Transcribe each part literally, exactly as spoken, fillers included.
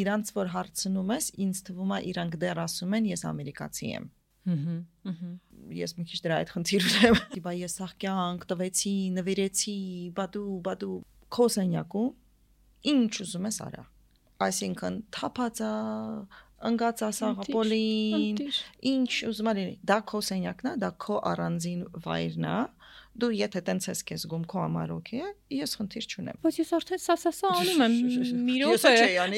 իրանց որ հարցնում ես, ինձ թվում է իրանք դեռ ասում են ես ամերիկացի եմ։ Ես մի քիչ դրա այդ խնդիր ունեմ։ Բա ես աղքյանք տվեցի, նվիրեցի, բադու, բադու քո սենյակում ինչ ուզում ես արա։ Այսինքն թափածա, ընկած ասաղապոլին, ինչ ուզում ես, դա քո սենյակն է, դա քո առանձին վայրն է։ Դու եթե տենց ես քեզ զգում քո համար օքեյ է, ես խնդիր չունեմ։ Բայց ես արդեն սասասա անում եմ, մի րոպե։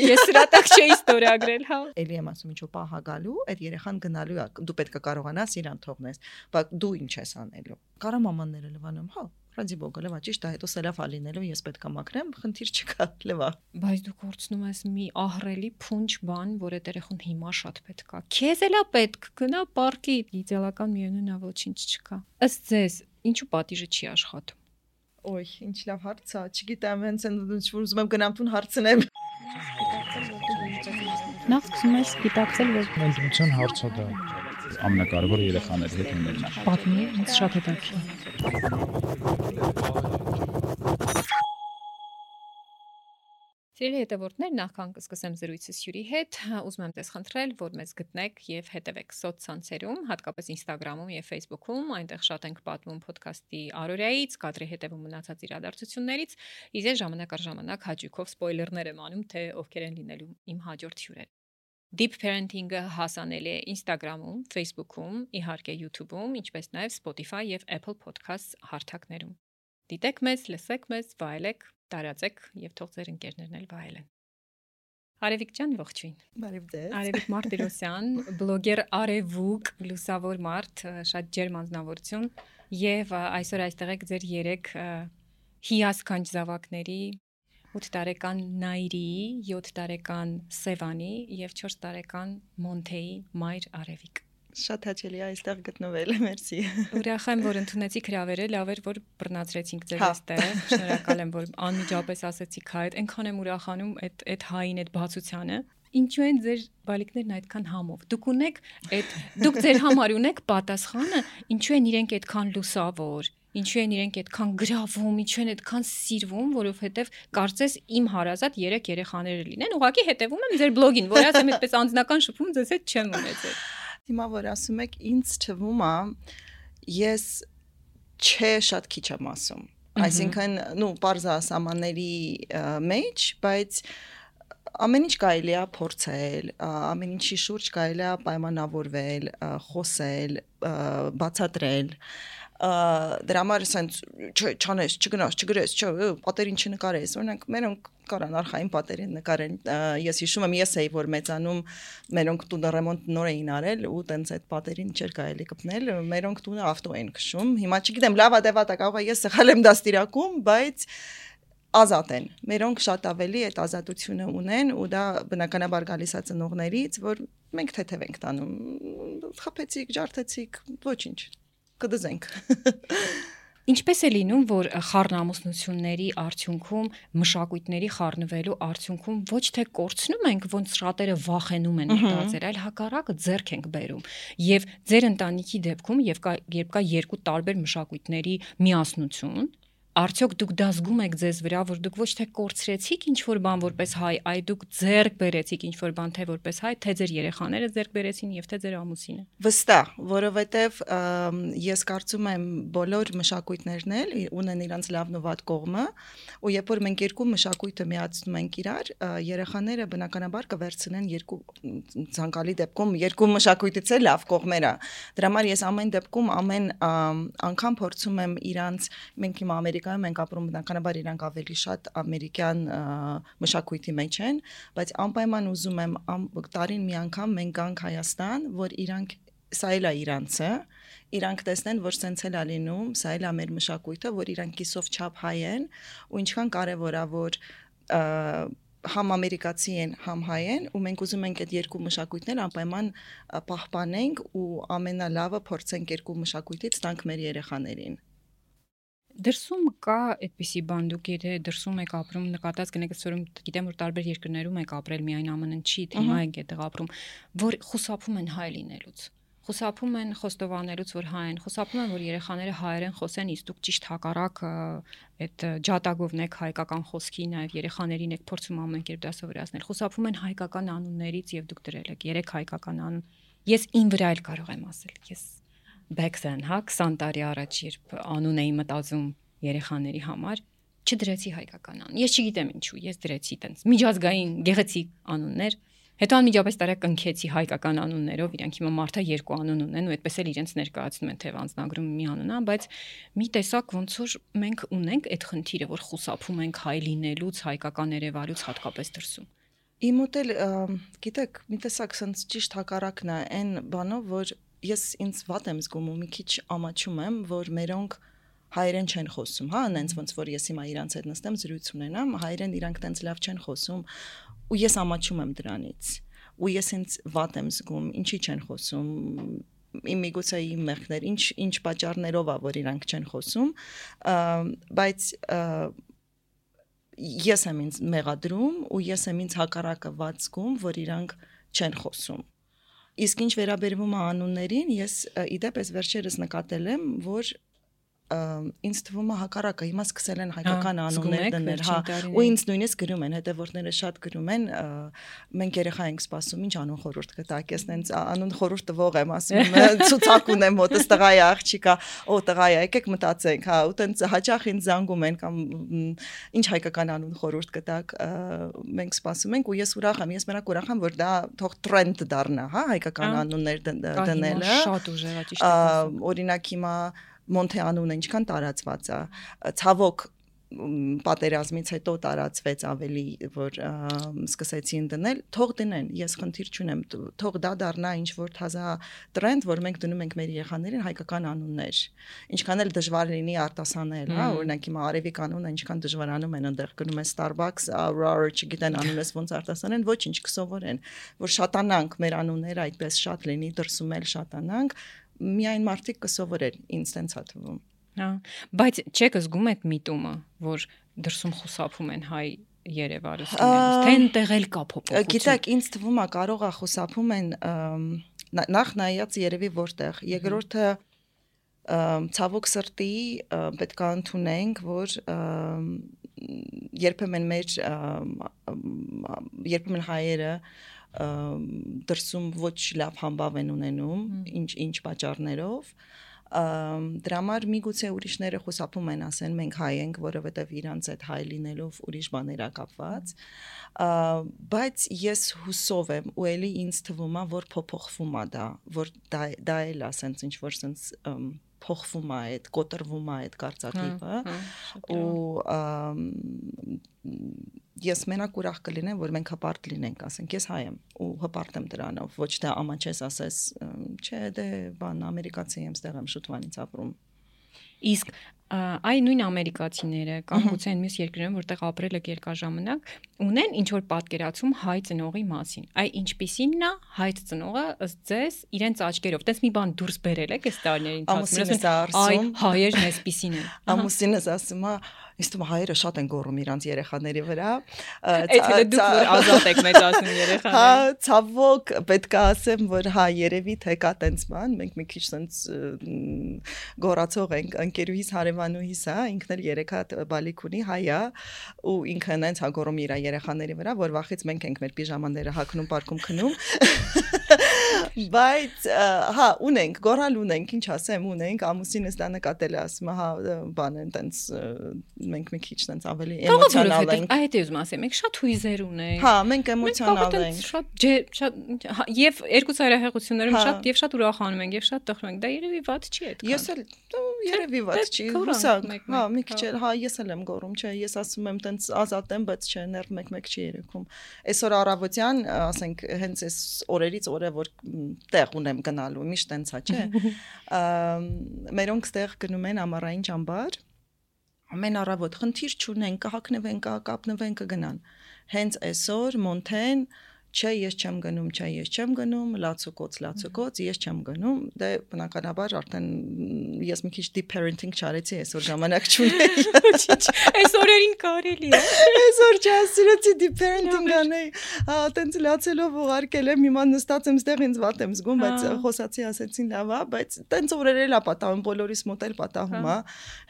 Ես սրա տակ չէի ստորագրել, հա։ Էլի եմ ասում, ինչու պահա գալու, այդ երեխան գնալու է, դու պետք է կարողանաս իրան թողնես, բայց դու ինչ ես անելու։ Կարա մամանները լվանում, հա, ռադի բոգը լվա, ճիշտ է, հետո սելավ ալինելու, ես պետք է մաքրեմ, խնդիր չկա, լվա։ Բայց դու կորցնում ես մի ահռելի փունջ բան, որ այդ երեխուն հիմա շատ պետք է։ Քեզ էլա պետք, գնա պարկի, իդեալական միևնույն է, ոչինչ չկա։ Ըստ ձեզ ինչու պատիժը չի աշխատում։ Ոյ, ինչ լավ հարց է, չգիտեմ, հենց այնպես որ ուզում եմ գնամ տուն հարցնեմ։ Նախ սկսում ես գիտակցել, որ ինտուիցիոն հարց է դա։ Ամենակարևորը երեխաների հետ ունենալն է։ Պատմի, ինձ շատ հետաքրքիր։ Սիրելի հետևորդներ, նախքան կսկսեմ զրույցս Հյուրի հետ, ուզում եմ ձեզ խնդրել, որ մեզ գտնեք եւ հետևեք սոցցանցերում, հատկապես Instagram-ում եւ Facebook-ում, այնտեղ շատ ենք պատմում ոդքասթի առօրյայից, կադրի հետևում մնացած իրադարձություններից, իսկ ես ժամանակ առ ժամանակ հաճույքով սպոյլերներ եմ անում, թե ովքեր են լինելու իմ հաջորդ հյուրերը։ Deep Parenting-ը հասանելի է Instagram-ում, Facebook-ում, իհարկե YouTube-ում, ինչպես նաեւ Spotify եւ Apple Podcasts հարթակներում։ Դիտեք մեզ, լսեք մեզ, վայելեք, տարածեք եւ թող ձեր ընկերներն էլ վայելեն։ Արևիկ ջան, ողջույն։ Բարև ձեզ։ Արևիկ Մարտիրոսյան, բլոգեր Արևուկ, լուսավոր մարդ, շատ ջերմ անձնավորություն եւ այսօր այստեղ եք ձեր երեք հիասքանչ զավակների ութ տարեկան Նայրի, յոթ տարեկան Սևանի եւ չորս տարեկան Մոնթեի մայր Արևիկ։ Շատ հաճելի է այստեղ գտնվել, մերսի։ Ուրախ եմ, որ ընդունեցիք հրավերը, լավ էր, որ բռնացրեցինք ձեզ այստեղ։ Շնորհակալ եմ, որ անմիջապես ասեցիք հայ, այնքան եմ ուրախանում այդ այդ հային այդ բացությանը։ Ինչու են ձեր բալիկներն այդքան համով։ Դուք ունեք այդ դուք ձեր համար ունեք պատասխանը, ինչու են իրենք այդքան լուսավոր, ինչու են իրենք այդքան գրավում, ինչու են այդքան սիրվում, որովհետև կարծես իմ հարազատ երեք երեխաները լինեն, ուղղակի հետևում եմ ձեր բլոգին, որ ասեմ այդպես անձնական շփում ձեզ հետ չեմ ունեցել։ Հիմա որ ասում եք, ինձ թվում է, ես չէ շատ քիչ եմ ասում։ Այսինքն, նու պարզա սահմանների մեջ, բայց ամեն ինչ կարելի է փորձել, ամեն ինչի շուրջ կարելի է պայմանավորվել, խոսել, բացատրել։ Դրա համար ասենց չանես, չգնաս, չգրես, պատերին չնկարես, օրինակ մերոնք կարան արխային պատերին նկարեն, ես հիշում եմ, ես էի որ մեծանում, մերոնք տունը ռեմոնտ նոր էին արել ու տենց այդ պատերին չէր կարելի կպնել, մերոնք տունը ավտո էին քշում, հիմա չգիտեմ, լավա դեվա տա կարող է ես սխալ եմ դաստիարակում, բայց ազատ են, մերոնք շատ ավելի այդ ազատությունը ունեն ու դա բնականաբար գալիս է ծնողներից, որ մենք թեթև ենք տանում, խփեցիք, ջարդեցիք, ոչինչ կդզենք։ Ինչպես է լինում, որ խառնամուսնությունների արդյունքում, մշակույթների խառնվելու արդյունքում ոչ թե կորցնում ենք, ոնց շատերը վախենում են մտածել, այլ հակառակը ձեռք ենք բերում։ Եվ ձեր ընտանիքի դեպքում, եւ կա, երբ կա երկու տարբեր մշակույթների միասնություն, արդյոք դուք դա զգում եք ձեզ վրա, որ դուք ոչ թե կորցրեցիք ինչ-որ բան որպես հայ, այլ դուք ձեռք բերեցիք ինչ-որ բան թե որպես հայ, թե ձեր երեխաները ձեռք բերեցին եւ թե ձեր ամուսինը։ Վստահ, որովհետեւ ես կարծում եմ բոլոր մշակույթներն էլ ունեն իրենց լավն ու վատ կողմը, ու երբ որ մենք երկու մշակույթը միացնում ենք իրար, երեխաները բնականաբար կվերցնեն երկու ցանկալի դեպքում երկու մշակույթից էլ լավ կողմերը։ Դրա համար ես ամեն դեպքում ամեն անգամ փորձում եմ իրանց մենք հիմա Ամերիկայում ենք ապրում բնականաբար իրանք ավելի շատ ամերիկյան մշակույթի մեջ են, բայց անպայման ուզում եմ տարին մի անգամ մենք գանք Հայաստան, որ իրանք սա էլ է իրանցը, իրանք տեսնեն, որ սենց էլ է լինում, սա էլ է մեր մշակույթը, որ իրանք կիսով չափ հայ են, ու ինչքան կարևոր է, որ համ ամերիկացի են, համ հայ են, ու մենք ուզում ենք այդ երկու մշակույթներ անպայման պահպանենք ու ամենալավը փորձենք երկու մշակույթից տանք մեր երեխաներին։ Դրսում կա այդպիսի բան, դուք եթե դրսում եք ապրում, նկատած կնեք, ասում գիտեմ, որ տարբեր երկրներում եք ապրել, միայն ԱՄՆ-ն չի, թե հիմա եք այդտեղ ապրում, որ խուսափում են հայ լինելուց, խուսափում են խոստովանելուց, որ հայ են, խուսափում են, որ երեխաները հայերեն խոսեն, իսկ դուք ճիշտ հակառակ այդ ջատագովն եք հայկական խոսքի, նաև երեխաներին եք փորձում ամեն կերպ դա սովորացնել։ Խուսափում են հայկական անուններից եւ դուք դրել եք երեք հայկական անուն։ Ես ին վրա էլ կարող եմ ասել, ես back then, հա, քսան տարի առաջ երբ անուն էի մտածում երեխաների համար, չդրեցի հայկական անուն։ Ես չգիտեմ ինչու, ես դրեցի տենց միջազգային գեղեցիկ անուններ։ Հետո անմիջապես տարա կնքեցի հայկական անուններով, իրանք հիմա մարդը երկու անուն ունեն ու այդպես էլ իրենց ներկայացնում են թե անձնագրում մի անուն է, բայց մի տեսակ ոնց որ մենք ունենք այդ խնդիրը, որ խուսափում ենք հայ լինելուց, հայկական երևալուց հատկապես դրսում։ Իմ մոտ էլ գիտեք, մի տեսակ sense ճիշտ հակառակն է այն բանով, որ ես ինձ վատ եմ զգում ու մի քիչ ամաչում եմ, որ մերոնք հայերեն չեն խոսում, հա, այնց ոնց որ ես հիմա իրանց հետ նստեմ զրույց ունենամ, հայերեն իրանք տենց լավ չեն խոսում ու ես ամաչում եմ դրանից ու ես ինձ վատ եմ զգում, ինչի չեն խոսում, իմ միգուցե իմ մեղքներ, ինչ ինչ պատճառներով է, որ իրանք չեն խոսում, բայց ես եմ ինձ մեղադրում ու ես եմ ինձ հակառակը վատ զգում, որ իրանք չեն խոսում։ Իսկ ինչ վերաբերվում է անուններին, ես իդեպ ես վերջերս նկատել եմ, որ ինձ թվում է հակառակը, հիմա սկսել են հայկական անուններ դնել, հա, ու ինձ նույնիսկ գրում են, հետևորդները շատ գրում են, մենք երեխա ենք սպասում, ինչ անուն խորհուրդ կտաք, ես նենց անուն խորհուրդ տվող եմ, ասում եմ, ցուցակ ունեմ մոտս, տղա է, աղջիկա, օ տղա է, եկեք մտածենք, հա, ու տենց հաճախ ինձ զանգում են կամ ինչ հայկական անուն խորհուրդ կտաք, մենք սպասում ենք ու ես ուրախ եմ, ես մենակ ուրախ եմ, որ դա թող տրենդ դառնա, հա, հայկական անուններ դնելը, շատ ուժեղ է, ճիշտ է, օրինակ հիմա Մոնթե անունը ինչքան տարածված է, ցավոք պատերազմից հետո տարածվեց ավելի, որ սկսեցին դնել, թող դնեն, ես խնդիր չունեմ, թող դա դառնա ինչ որ թազա տրենդ, որ մենք դնում ենք մեր երեխաներին հայկական անուններ, ինչքան էլ դժվար լինի արտասանել, հա, օրինակ հիմա արևիկ անունը ինչքան դժվարանում են, այնտեղ գնում են Starbucks, Aurora, չգիտեն անունս ոնց արտասանեն, ոչինչ կսովորեն, որ շատանանք մեր անունները այդպես շատ լինի, դրսում էլ շատանանք, միայն մարդիկ կսովորեն, ինձ տենց է թվում։ Հա, բայց չեք զգում այդ միտումը, որ դրսում խուսափում են հայ երևալուց լինելուց, թե այնտեղ էլ կա փոփոխություն։ Գիտեք, ինձ թվում է կարող է խուսափում են նախ նայած երևի որտեղ, երկրորդը ցավոք սրտի պետք է ընդունենք, որ երբեմն մեր երբեմն հայերը դրսում ոչ լավ համբավ են ունենում, ինչ ինչ պատճառներով, դրա համար միգուցե ուրիշները խուսափում են ասեն մենք հայ ենք, որովհետև իրանց այդ հայ լինելով ուրիշ բաներ ա կապված, բայց ես հուսով եմ ու էլի ինձ թվում է, որ փոփոխվում է դա, որ դա դա էլ է ասենց ինչ որ սենց փոխվում է այդ, կոտրվում է այդ կարծրատիպը ու ես մենակ ուրախ կլինեմ, որ մենք հպարտ լինենք, ասենք, ես հայ եմ ու հպարտ եմ դրանով, ոչ թե ամաչես ասես, չէ, դե բան ամերիկացի եմ, ստեղ եմ շուտվանից ապրում։ Իսկ այ նույն ամերիկացիները կամ գուցե այն մյուս երկրներում, որտեղ ապրել եք երկար ժամանակ, ունեն ինչ որ պատկերացում հայ ծնողի մասին։ Այ ինչպիսին է հայ ծնողը ըստ ձեզ իրենց աչքերով։ Տես մի բան դուրս բերել եք այս տարիների ընթացքում։ Այ հայերն այսպիսին են։ Ամուսինս ասում է, իսկ դու հայերը շատ են գոռում իրանց երեխաների վրա։ Այդ դուք որ ազատ եք մեծացնում երեխաներին։ Հա, ցավոք պետք է ասեմ, որ հա երևի թե կա տենց բան, մենք մի քիչ տենց գոռացող ենք, ընկերուհիս հարևանուհիս, հա, ինքն էլ երեք հատ բալիկ ունի, հայ է, ու ինքը նենց հա գոռում իր երեխաների վրա, որ վախից մենք ենք մեր պիժամաները հագնում, պարկում, քնում։ Բայց հա ունենք, գոռալ ունենք, ինչ ասեմ, ունենք, ամուսինս դա նկատել է, ասում է, հա, բան են տենց մենք մի քիչ տենց ավելի էմոցիոնալ ենք։ Այդ է ուզում ասեմ, մենք շատ հույզեր ունենք։ Հա, մենք էմոցիոնալ ենք։ Շատ շատ եւ երկու ծայրահեղություններում շատ եւ շատ ուրախանում ենք եւ շատ տխրում ենք։ Դա երևի ված չի այդքան։ Ես էլ երևի ված չի, հուսանք։ Հա, մի քիչ էլ, հա, ես էլ եմ գոռում, չէ, ես ասում եմ տենց ազատ եմ, բայց չէ, ներվ մեկ-մեկ չի երեքում։ Այսօր առավոտյան, ասենք, հենց այս օրերից օրը որ տեղ ունեմ գնալու, միշտ տենց է, չէ։ Մերոնք ստեղ գնում են ամառային ճամբար, ամեն առավոտ խնդիր չունեն, կհակնվեն, կկապնվեն, կգնան։ Հենց այսօր Մոնթեն չէ, ես չեմ գնում, չէ, ես չեմ գնում, լացուկոց, լացուկոց, ես չեմ գնում, դե բնականաբար արդեն ես մի քիչ deep parenting չարեցի, այսօր ժամանակ չունեի։ Այս օրերին կարելի է։ Այսօր չասիրեցի deep parenting անեի, հա, տենց լացելով ուղարկել եմ, հիմա նստած եմ ստեղ ինձ վատ եմ զգում, բայց խոսացի ասեցին լավ է, բայց տենց օրեր էլ է պատահում, բոլորիս մոտ էլ պատահում է։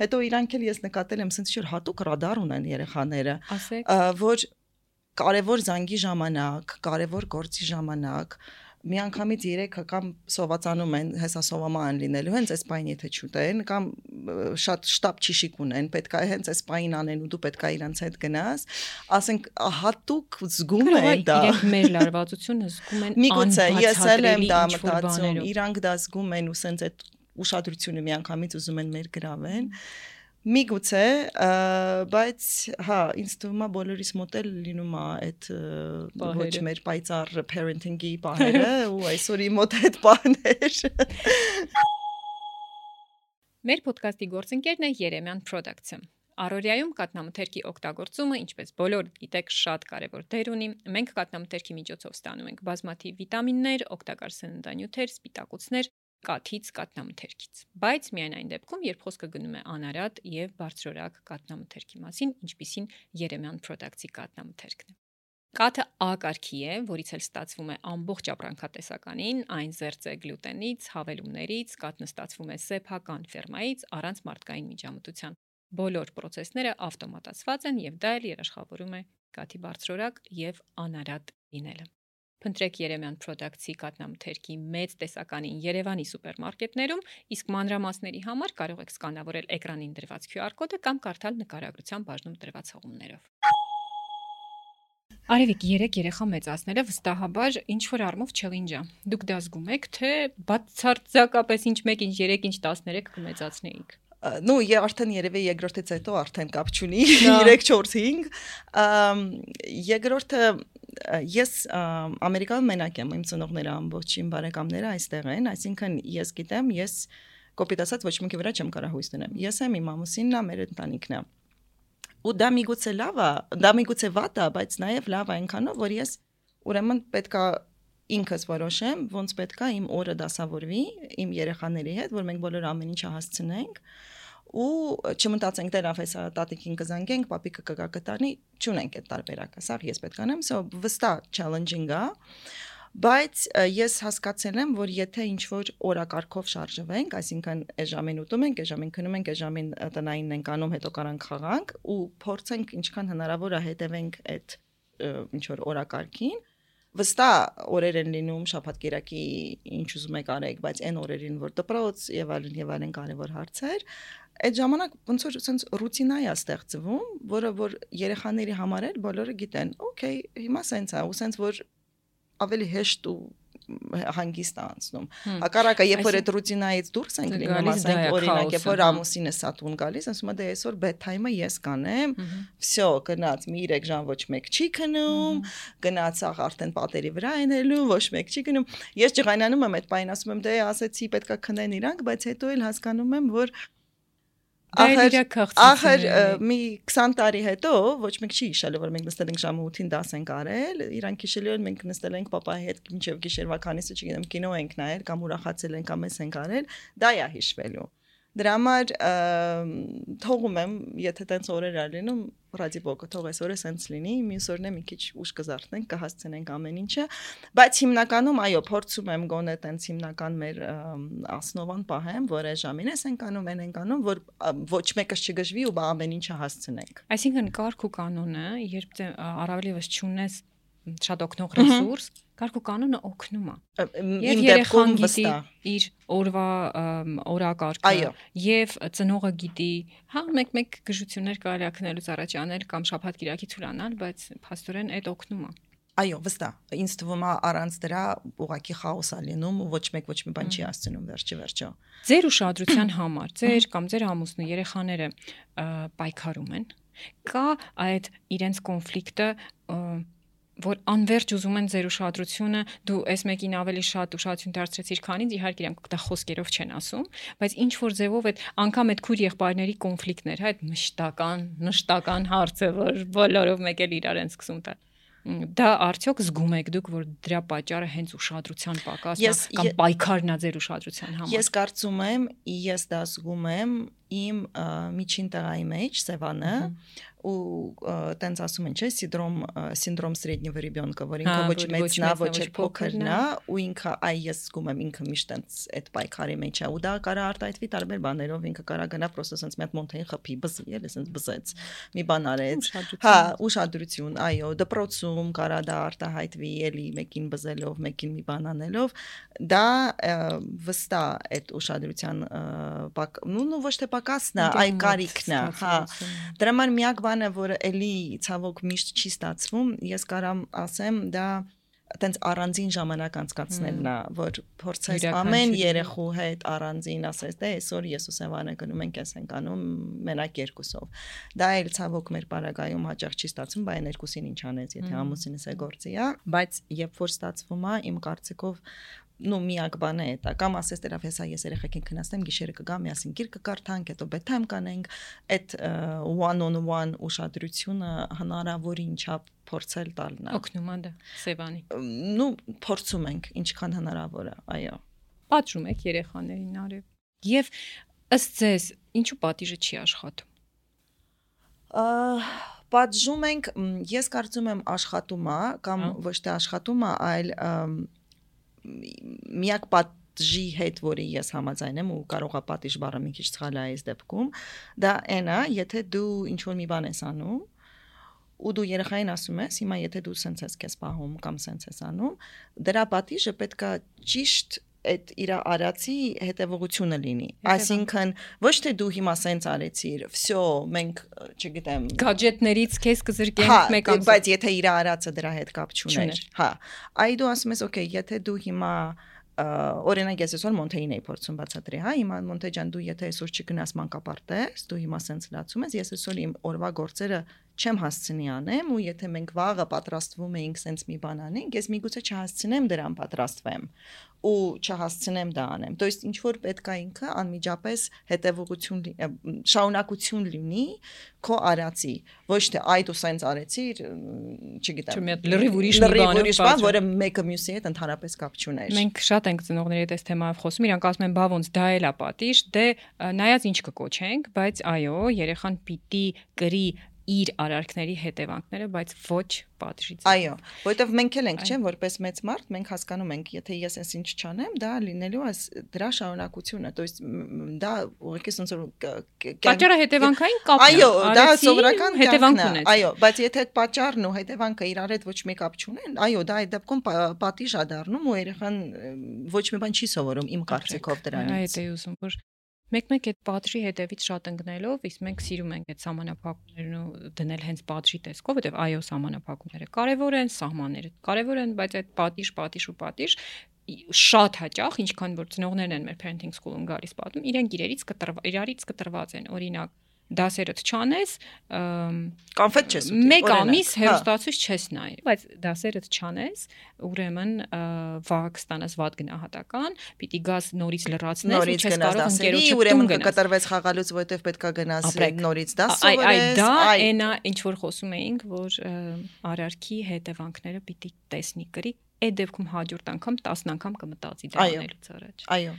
Հետո իրանք էլ ես նկատել եմ, ասենց որ հատուկ ռադար ունեն երեխաները, որ կարևոր զանգի ժամանակ, կարևոր գործի ժամանակ, միանգամից երեք կամ սովածանում են, հեսա սովամա են լինելու, հենց այս պայն եթե չուտեն, կամ շատ շտապ ճիշիկ ունեն, պետք է հենց այս պայն անեն ու դու պետք է իրանց հետ գնաս, ասենք հատուկ զգում են դա։ Իրենք մեր լարվածությունը զգում են միգուցե ես էլ եմ դա մտածում, իրանք դա զգում են ու սենց այդ ուշադրությունը միանգամից ուզում են մեր գրավեն։ Միգուցե, բայց հա, ինձ թվում է բոլորիս մոտ էլ լինում է այդ ոչ մեր պայծառ parenting-ի պահերը ու այսօր իմ մոտ այդ պահներ։ Մեր ոդկասթի գործընկերն է Երեմյան Products-ը։ Առօրյայում կաթնամթերքի օգտագործումը, ինչպես բոլոր գիտեք, շատ կարևոր դեր ունի։ Մենք կաթնամթերքի միջոցով ստանում ենք բազմաթիվ վիտամիններ, օգտակար սննդանյութեր, սպիտակուցներ, կաթից, կաթնամթերքից։ Բայց միայն այն դեպքում, երբ խոսքը գնում է անարատ եւ բարձրորակ կաթնամթերքի մասին, ինչպիսին Երեմյան Products-ի կաթնամթերքն է։ Կաթը A կարգի է, որից էլ ստացվում է ամբողջ ապրանքատեսականին, այն զերծ է գլյուտենից, հավելումներից, կաթն ստացվում է սեփական ֆերմայից, առանց մարդկային միջամտության։ Բոլոր պրոցեսները ավտոմատացված են եւ դա էլ երաշխավորում է կաթի բարձրորակ եւ անարատ լինելը։ Փնտրեք Երեմյան Products-ի կաթնամթերքի մեծ տեսականին Երևանի սուպերմարկետներում, իսկ մանրամասների համար կարող եք սկանավորել էկրանին դրված Q R կոդը կամ կարդալ նկարագրության բաժնում դրված հղումներով։ Արևիկ, երեք երեխա մեծացնելը վստահաբար ինչ որ առումով չելինջ է։ Դուք դա զգում եք, թե բացարձակապես ինչ մեկ, ինչ երեք, ինչ տասներեք կմեծացնեիք։ Ну, я արդեն երևի երկրորդից հետո արդեն կապ չունի երեք չորս հինգ։ Երկրորդը ես Ամերիկայում մենակ եմ, իմ ծնողները ամբողջ իմ բարեկամները այստեղ են, այսինքն ես գիտեմ, ես կոպիտ ասած ոչ մեկի վրա չեմ կարող հույս դնել։ Ես եմ իմ ամուսինն է, մեր ընտանիքն է։ Ու դա միգուցե լավ է, դա միգուցե վատ է, բայց նաև լավ է այնքանով, որ ես ուրեմն պետքա ինքս որոշեմ, ոնց պետքա իմ օրը դասավորվի իմ երեխաների հետ, որ մենք բոլոր ամեն ինչը հասցնենք ու չմտածենք դեռ ավեսա տատիկին կզանգենք, պապիկը կգա կտանի, չունենք այդ տարբերակը, սա ես պետք անեմ, so վստահ challenging է, բայց ես հասկացել եմ, որ եթե ինչ-որ օրակարգով շարժվենք, այսինքն այս ժամին ուտում ենք, այս ժամին քնում ենք, այս ժամին տնայինն ենք անում, հետո կարանք խաղանք ու փորձենք ինչքան հնարավոր է հետևենք այդ ինչ-որ օրակարգին, վստահ օրեր են լինում շաբաթ-կիրակի ինչ ուզում եք արեք, բայց այն օրերին, որ դպրոց եւ այլն եւ այլն կարեւոր հարցեր, այդ ժամանակ ոնց որ sense ռուտինա է ստեղծվում, որը որ երեխաների համար էլ բոլորը գիտեն, օքեյ, հիմա sense է, ու sense որ ավելի հեշտ ու հանգիստ անցնում։ Հակառակը, երբ որ այդ ռուտինայից դուրս ենք լինում, ասենք օրինակ, երբ որ ամուսինը սատուն գալիս, ասում է դե այսօր bedtime-ը ես կանեմ, всё, գնաց մի երեք ժամ ոչ մեկ չի քնում, գնաց աղ արդեն պատերի վրա ենելու, ոչ մեկ չի քնում։ Ես ջղայնանում եմ այդ պայն, ասում եմ դե ասեցի պետքա քնեն իրանք, բայց հետո էլ հասկանում եմ, որ Ախր, ախր մի քսան տարի հետո ոչ մեկ չի հիշելու, որ մենք նստել ենք ժամը ութին դաս ենք արել, իրանք հիշելու են մենք նստել ենք պապայի հետ մինչև գիշերվա քանիսը չգիտեմ կինո ենք նայել կամ ուրախացել ենք կամ էս ենք արել, դա է հիշվելու։ Դրա համար թողում եմ, եթե տենց օրեր ա լինում, ռադիբոկը թող այս օրը սենց լինի, մյուս օրն է մի քիչ ուշ կզարթնենք, կհասցնենք ամեն ինչը, բայց հիմնականում այո, փորձում եմ գոնե տենց հիմնական մեր ասնովան պահեմ, որ այս ժամին ես ենք անում, են ենք անում, որ ոչ մեկս չգժվի ու բա ամեն ինչը հասցնենք։ Այսինքն կարգ ու կանոնը, երբ առավելևս չունես շատ օգնող ռեսուրս, կարգ ու կանոնը օգնում է։ Եվ երեխան գիտի իր օրվա օրակարգը, եւ ծնողը գիտի, հա, մեկ-մեկ գժություններ կարելի է քնելուց առաջ անել կամ շաբաթ-կիրակի ցուրանալ, բայց փաստորեն այդ օգնում է։ Այո, վստահ։ Ինձ թվում է առանց դրա ուղակի խաոս է լինում ու ոչ մեկ ոչ մի բան չի հասցնում վերջի վերջո։ Ձեր ուշադրության համար, ձեր կամ ձեր ամուսնու երեխաները պայքարում են։ Կա այդ իրենց կոնֆլիկտը, որ անverջ ուզում են ձեր ուշադրությունը, դու այս մեկին ավելի շատ ուշադրություն դարձրեցիր, քան ինձ, իհարկե իրենք դա խոսքերով չեն ասում, բայց ինչ որ ձևով այդ անգամ այդ քույր եղբայրների կոնֆլիկտներ, հա, այդ մշտական, նշտական հարցը, որ բոլորով մեկ էլ իրար են սկսում տալ։ Դա արդյոք զգում եք դուք, որ դրա պատճառը հենց ուշադրության պակասն է կամ պայքարն է ձեր ուշադրության համար։ Ես կարծում եմ, ես դա զգում եմ իմ միջին տղայի մեջ, Սևանը, ու տենց ասում են, չէ, սինդրոմ սինդրոմ սրեդնիվը ռեբյոնկը, որ ինքը ոչ մեծն է, ոչ էլ փոքրն է, ու ինքը այ ես զգում եմ ինքը միշտ տենց այդ պայքարի մեջ է, ու դա կարա արտահայտվի տարբեր բաներով, ինքը կարա գնա պրոստը sense մի հատ մոնթեին խփի, բզի, էլի sense բզեց, մի բան արեց, հա, ուշադրություն, այո, դպրոցում կարա դա արտահայտվի, էլի մեկին բզելով, մեկին մի բան անելով, դա վստահ այդ ուշադրության նո ոչ թե պակասն է, այ կարիքն է, հա, դրա համար միակ բանը, որ էլի ցավոք միշտ չի ստացվում, ես կարամ ասեմ, դա տենց առանձին ժամանակ անցկացնելն է, որ փորձես ամեն երեխու հետ առանձին ասես, դե այսօր ես ու Սևանը գնում ենք, ես ենք անում մենակ երկուսով։ Դա էլ ցավոք մեր պարագայում հաճախ չի ստացվում, բայց երկուսին ինչ անեց, եթե ամուսինս է գործի է, բայց երբ որ ստացվում է, իմ կարծիքով նո միակ բանը է դա կամ ասես դեռ հեսա ես երեխեքին քննացնեմ գիշերը կգամ միասին գիրք կկարդանք հետո bedtime կանենք այդ one on one ուշադրությունը հնարավորին չափ փորձել տալն է օգնում է դա Սևանի նո փորձում ենք ինչքան հնարավոր է այո պատժում եք երեխաներին արև եւ ըստ ձեզ ինչու պատիժը չի աշխատում պատժում ենք ես կարծում եմ աշխատում է կամ ոչ թե աշխատում է այլ միակ պատժի հետ, որի ես համաձայն եմ ու կարող է պատիժ բառը մի քիչ սխալ է այս դեպքում, դա այն է, եթե դու ինչ-որ մի բան ես անում, ու դու երեխային ասում ես, հիմա եթե դու սենց ես քեզ պահում կամ սենց ես անում, դրա պատիժը պետք է ճիշտ այդ իր արածի հետևողությունը լինի։ Այսինքն ոչ թե դու հիմա սենց արեցիր, վсё, մենք, չգիտեմ, գadgetներից քեզ կզրկենք մեկ ամսով, բայց եթե իր արածը դրա հետ կապ չուներ, հա, այ դու ասում ես, օքեյ, եթե դու հիմա օրինակ ես այսօր Մոնթեին էի փորձում բացատրի, հա, հիմա Մոնթե ջան, դու եթե այսօր չգնաս մանկապարտեզ, դու հիմա սենց լացում ես, ես այսօր իմ օրվա գործերը չեմ հասցնի անեմ, ու եթե մենք վաղը պատրաստվում էինք սենց մի բան անենք, ես միգուցե չհասցնեմ դրան պատրաստվեմ ու չհասցնեմ դա անեմ։ То есть ինչ որ պետք է ինքը անմիջապես հետևողություն շարունակություն լինի քո արածի, ոչ թե այ դու սենց արեցիր, չգիտեմ, լրիվ ուրիշ մի բան, որը մեկը մյուսի հետ ընդհանրապես կապ չուներ։ Մենք շատ ենք ծնողների հետ այս թեմայով խոսում, իրանք ասում են, բա ոնց դա էլ է պատիժ, դե նայած ինչ կկոչենք, բայց այո, երեխան պիտի կրի իր արարքների հետևանքները, բայց ոչ պատժից։ Այո, որովհետև մենք էլ ենք, չէ՞, որպես մեծ մարդ, մենք հասկանում ենք, եթե ես այս ինչ չանեմ, դա լինելու է դրա շարունակությունը, то есть դա ուղղակի ոնց որ պատճառը հետևանքային կապն է։ Այո, դա սովորական հետևանքն է։ Այո, բայց եթե այդ պատճառն ու հետևանքը իրար հետ ոչ մի կապ չունեն, այո, դա այդ դեպքում պատիժ է դառնում ու երեխան ոչ մի բան չի սովորում իմ կարծիքով դրանից։ Այդ է ուզում, որ մեկ-մեկ այդ պատժի հետևից շատ ընկնելով, իսկ մենք սիրում ենք այդ սահմանափակումներն ու դնել հենց պատժի տեսքով, որովհետև այո, սահմանափակումները կարևոր են, սահմանները կարևոր են, բայց այդ պատիժ, պատիժ ու պատիժ շատ հաճախ, ինչքան որ ծնողներն են մեր parenting school-ում գալիս պատում, իրենք իրարից կտրված, իրարից կտրված են, օրինակ դասերդ չանես, կոնֆետ չես ուտի, մեկ ամիս հերոստացույց չես նայ, բայց դասերդ չանես, ուրեմն վաղ կստանաս վատ գնահատական, պիտի գաս նորից լրացնես ու չես կարող ընկերոջդ ուրեմն կկտրվես խաղալուց, որովհետև պետքա գնաս նորից դաս սովորես։ Այ դա այն է, ինչ որ խոսում էինք, որ արարքի հետևանքները պիտի տեսնի կրի, այդ դեպքում հաջորդ անգամ տասն անգամ կմտածի դա անելուց առաջ։ Այո։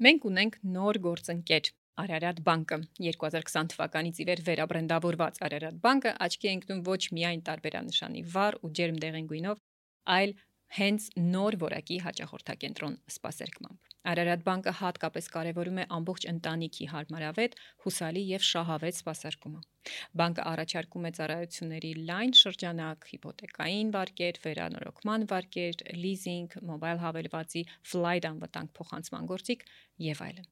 Մենք ունենք նոր գործընկեր Արարատ բանկը երկու հազար քսան թվականից ի վեր վերաբրենդավորված Արարատ բանկը աչքի է ընկնում ոչ միայն տարբերանշանի վառ ու ջերմ դեղին գույնով, այլ հենց նոր որակի հաճախորդակենտրոն սպասարկմամբ։ Արարատ բանկը հատկապես կարևորում է ամբողջ ընտանիքի հարմարավետ, հուսալի եւ շահավետ սպասարկումը։ Բանկը առաջարկում է ծառայությունների լայն շրջանակ, հիպոթեկային վարկեր, վերանորոգման վարկեր, լիզինգ, մոբայլ հավելվածի, ֆլայթ անվտանգ փոխանցման գործիք եւ այլն։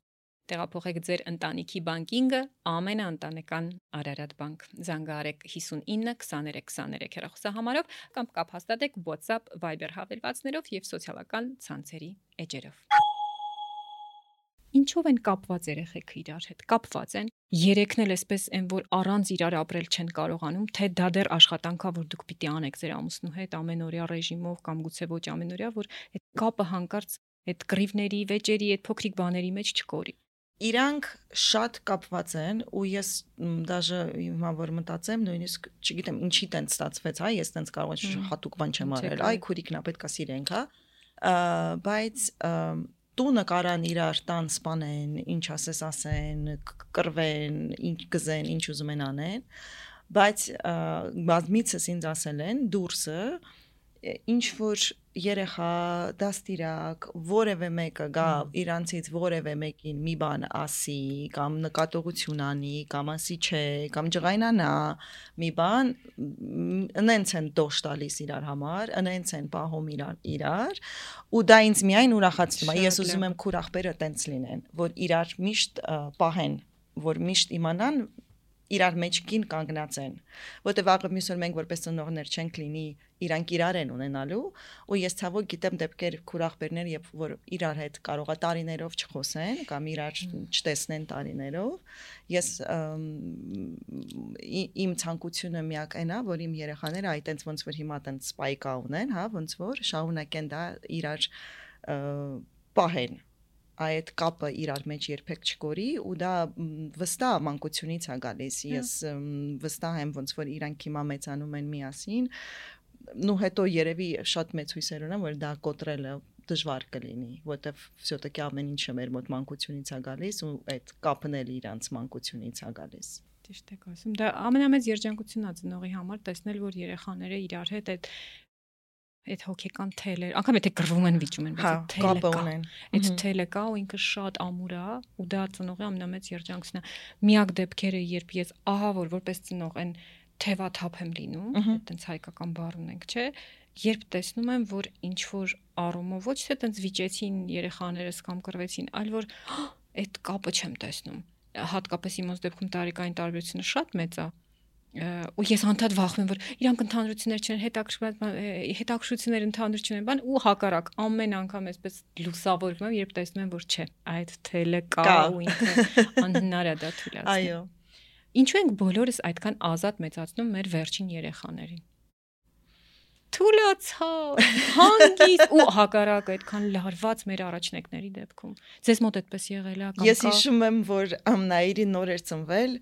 Տեղափոխեք ձեր ընտանիքի բանկինգը ամենաընտանեկան Արարատ բանկ։ Զանգահարեք հիսունինը քսաներեք քսաներեք հեռախոսահամարով կամ կապ հաստատեք WhatsApp, Viber հավելվածներով եւ սոցիալական ցանցերի էջերով։ Ինչով են կապված երեխեքը իրար հետ։ Կապված են։ Երեքն էլ էսպես են, որ առանց իրար ապրել չեն կարողանում, թե դա դեռ աշխատանքա, որ դուք պիտի անեք ձեր ամուսնու հետ ամենօրյա ռեժիմով կամ գուցե ոչ ամենօրյա, որ այդ կապը հանկարծ այդ կռիվների, վեճերի, այդ փոքրիկ բաների մեջ չկորի։ Իրանք շատ կապված են ու ես դաժե հիմա որ մտածեմ նույնիսկ չգիտեմ ինչի տենց ստացվեց, հա, ես տենց կարող եմ հատուկ բան չեմ արել, այ քուրիկն է պետքա սիրենք, հա, բայց տունը կարան իրար տան սպանեն, ինչ ասես ասեն, կռվեն, ինչ գզեն, ինչ ուզում են անեն, բայց բազմիցս ինձ ասել են դուրսը ինչ որ երեխա դաստիրակ որևէ մեկը գա իրանցից որևէ մեկին մի բան ասի կամ նկատողություն անի կամ ասի չէ կամ ջղայնանա մի բան ընենց են դոշ տալիս իրար համար ընենց են պահում իրար իրար ու դա ինձ միայն ուրախացնում է ես ուզում եմ քուր ախպերը տենց լինեն որ իրար միշտ պահեն որ միշտ իմանան իրար մեջքին կանգնած են որտեվ աղը մյուս օր մենք որպես ծնողներ չենք լինի իրանք իրար են ունենալու ու ես ցավոք գիտեմ դեպքեր քուրախբերներ երբ որ իրար հետ կարողա տարիներով չխոսեն կամ իրար չտեսնեն տարիներով ես իմ ցանկությունը միակ այնա որ իմ երեխաները այ տենց ոնց որ հիմա տենց սպայկա ունեն հա ոնց որ շարունակեն դա իրար պահեն այդ կապը իրար մեջ երբեք չկորի ու դա վստահ մանկությունից է գալիս ես վստահ եմ ոնց որ իրանք հիմա մեծանում են միասին նու հետո երևի շատ մեծ հույսեր ունեմ որ դա կոտրելը դժվար կլինի որտեվ всё-таки ամեն ինչը մեր մոտ մանկությունից է գալիս ու այդ կապն էլ իրանց մանկությունից է գալիս ճիշտ եք ասում դա ամենամեծ երջանկությունն է ծնողի համար տեսնել որ երեխաները իրար հետ այդ այդ հոգեկան թելեր, անգամ եթե գրվում են վիճում են, բայց թելը կա, այդ թելը կա ու ինքը շատ ամուր է ու դա ծնողի ամենամեծ երջանկությունն է։ Միակ դեպքերը, երբ ես ահա որ որպես ծնող այն թևաթափ եմ լինում, այդտենց հայկական բառ ունենք, չէ, երբ տեսնում եմ, որ ինչ որ առումով ոչ թե այդտենց վիճեցին երեխաներս կամ կռվեցին, այլ որ այդ կապը չեմ տեսնում։ Հատկապես իմոց դեպքում տարիքային տարբերությունը շատ մեծ է։ ու ես անդադ վախում եմ որ իրանք ընդհանրություններ չեն հետաքրություններ ընդհանուր չունեն բան ու հակառակ ամեն անգամ այսպես լուսավորվում եմ երբ տեսնում եմ որ չէ այդ թելը կա ու ինքը անհնար է դա թույլատրել այո ինչու ենք բոլորս այդքան ազատ մեծացնում մեր վերջին երեխաներին թույլացավ հանգիստ ու հակառակ այդքան լարված մեր առաջնեկների դեպքում ձեզ մոտ այդպես եղել է կամ ես հիշում եմ որ Նաիրի նոր էր ծնվել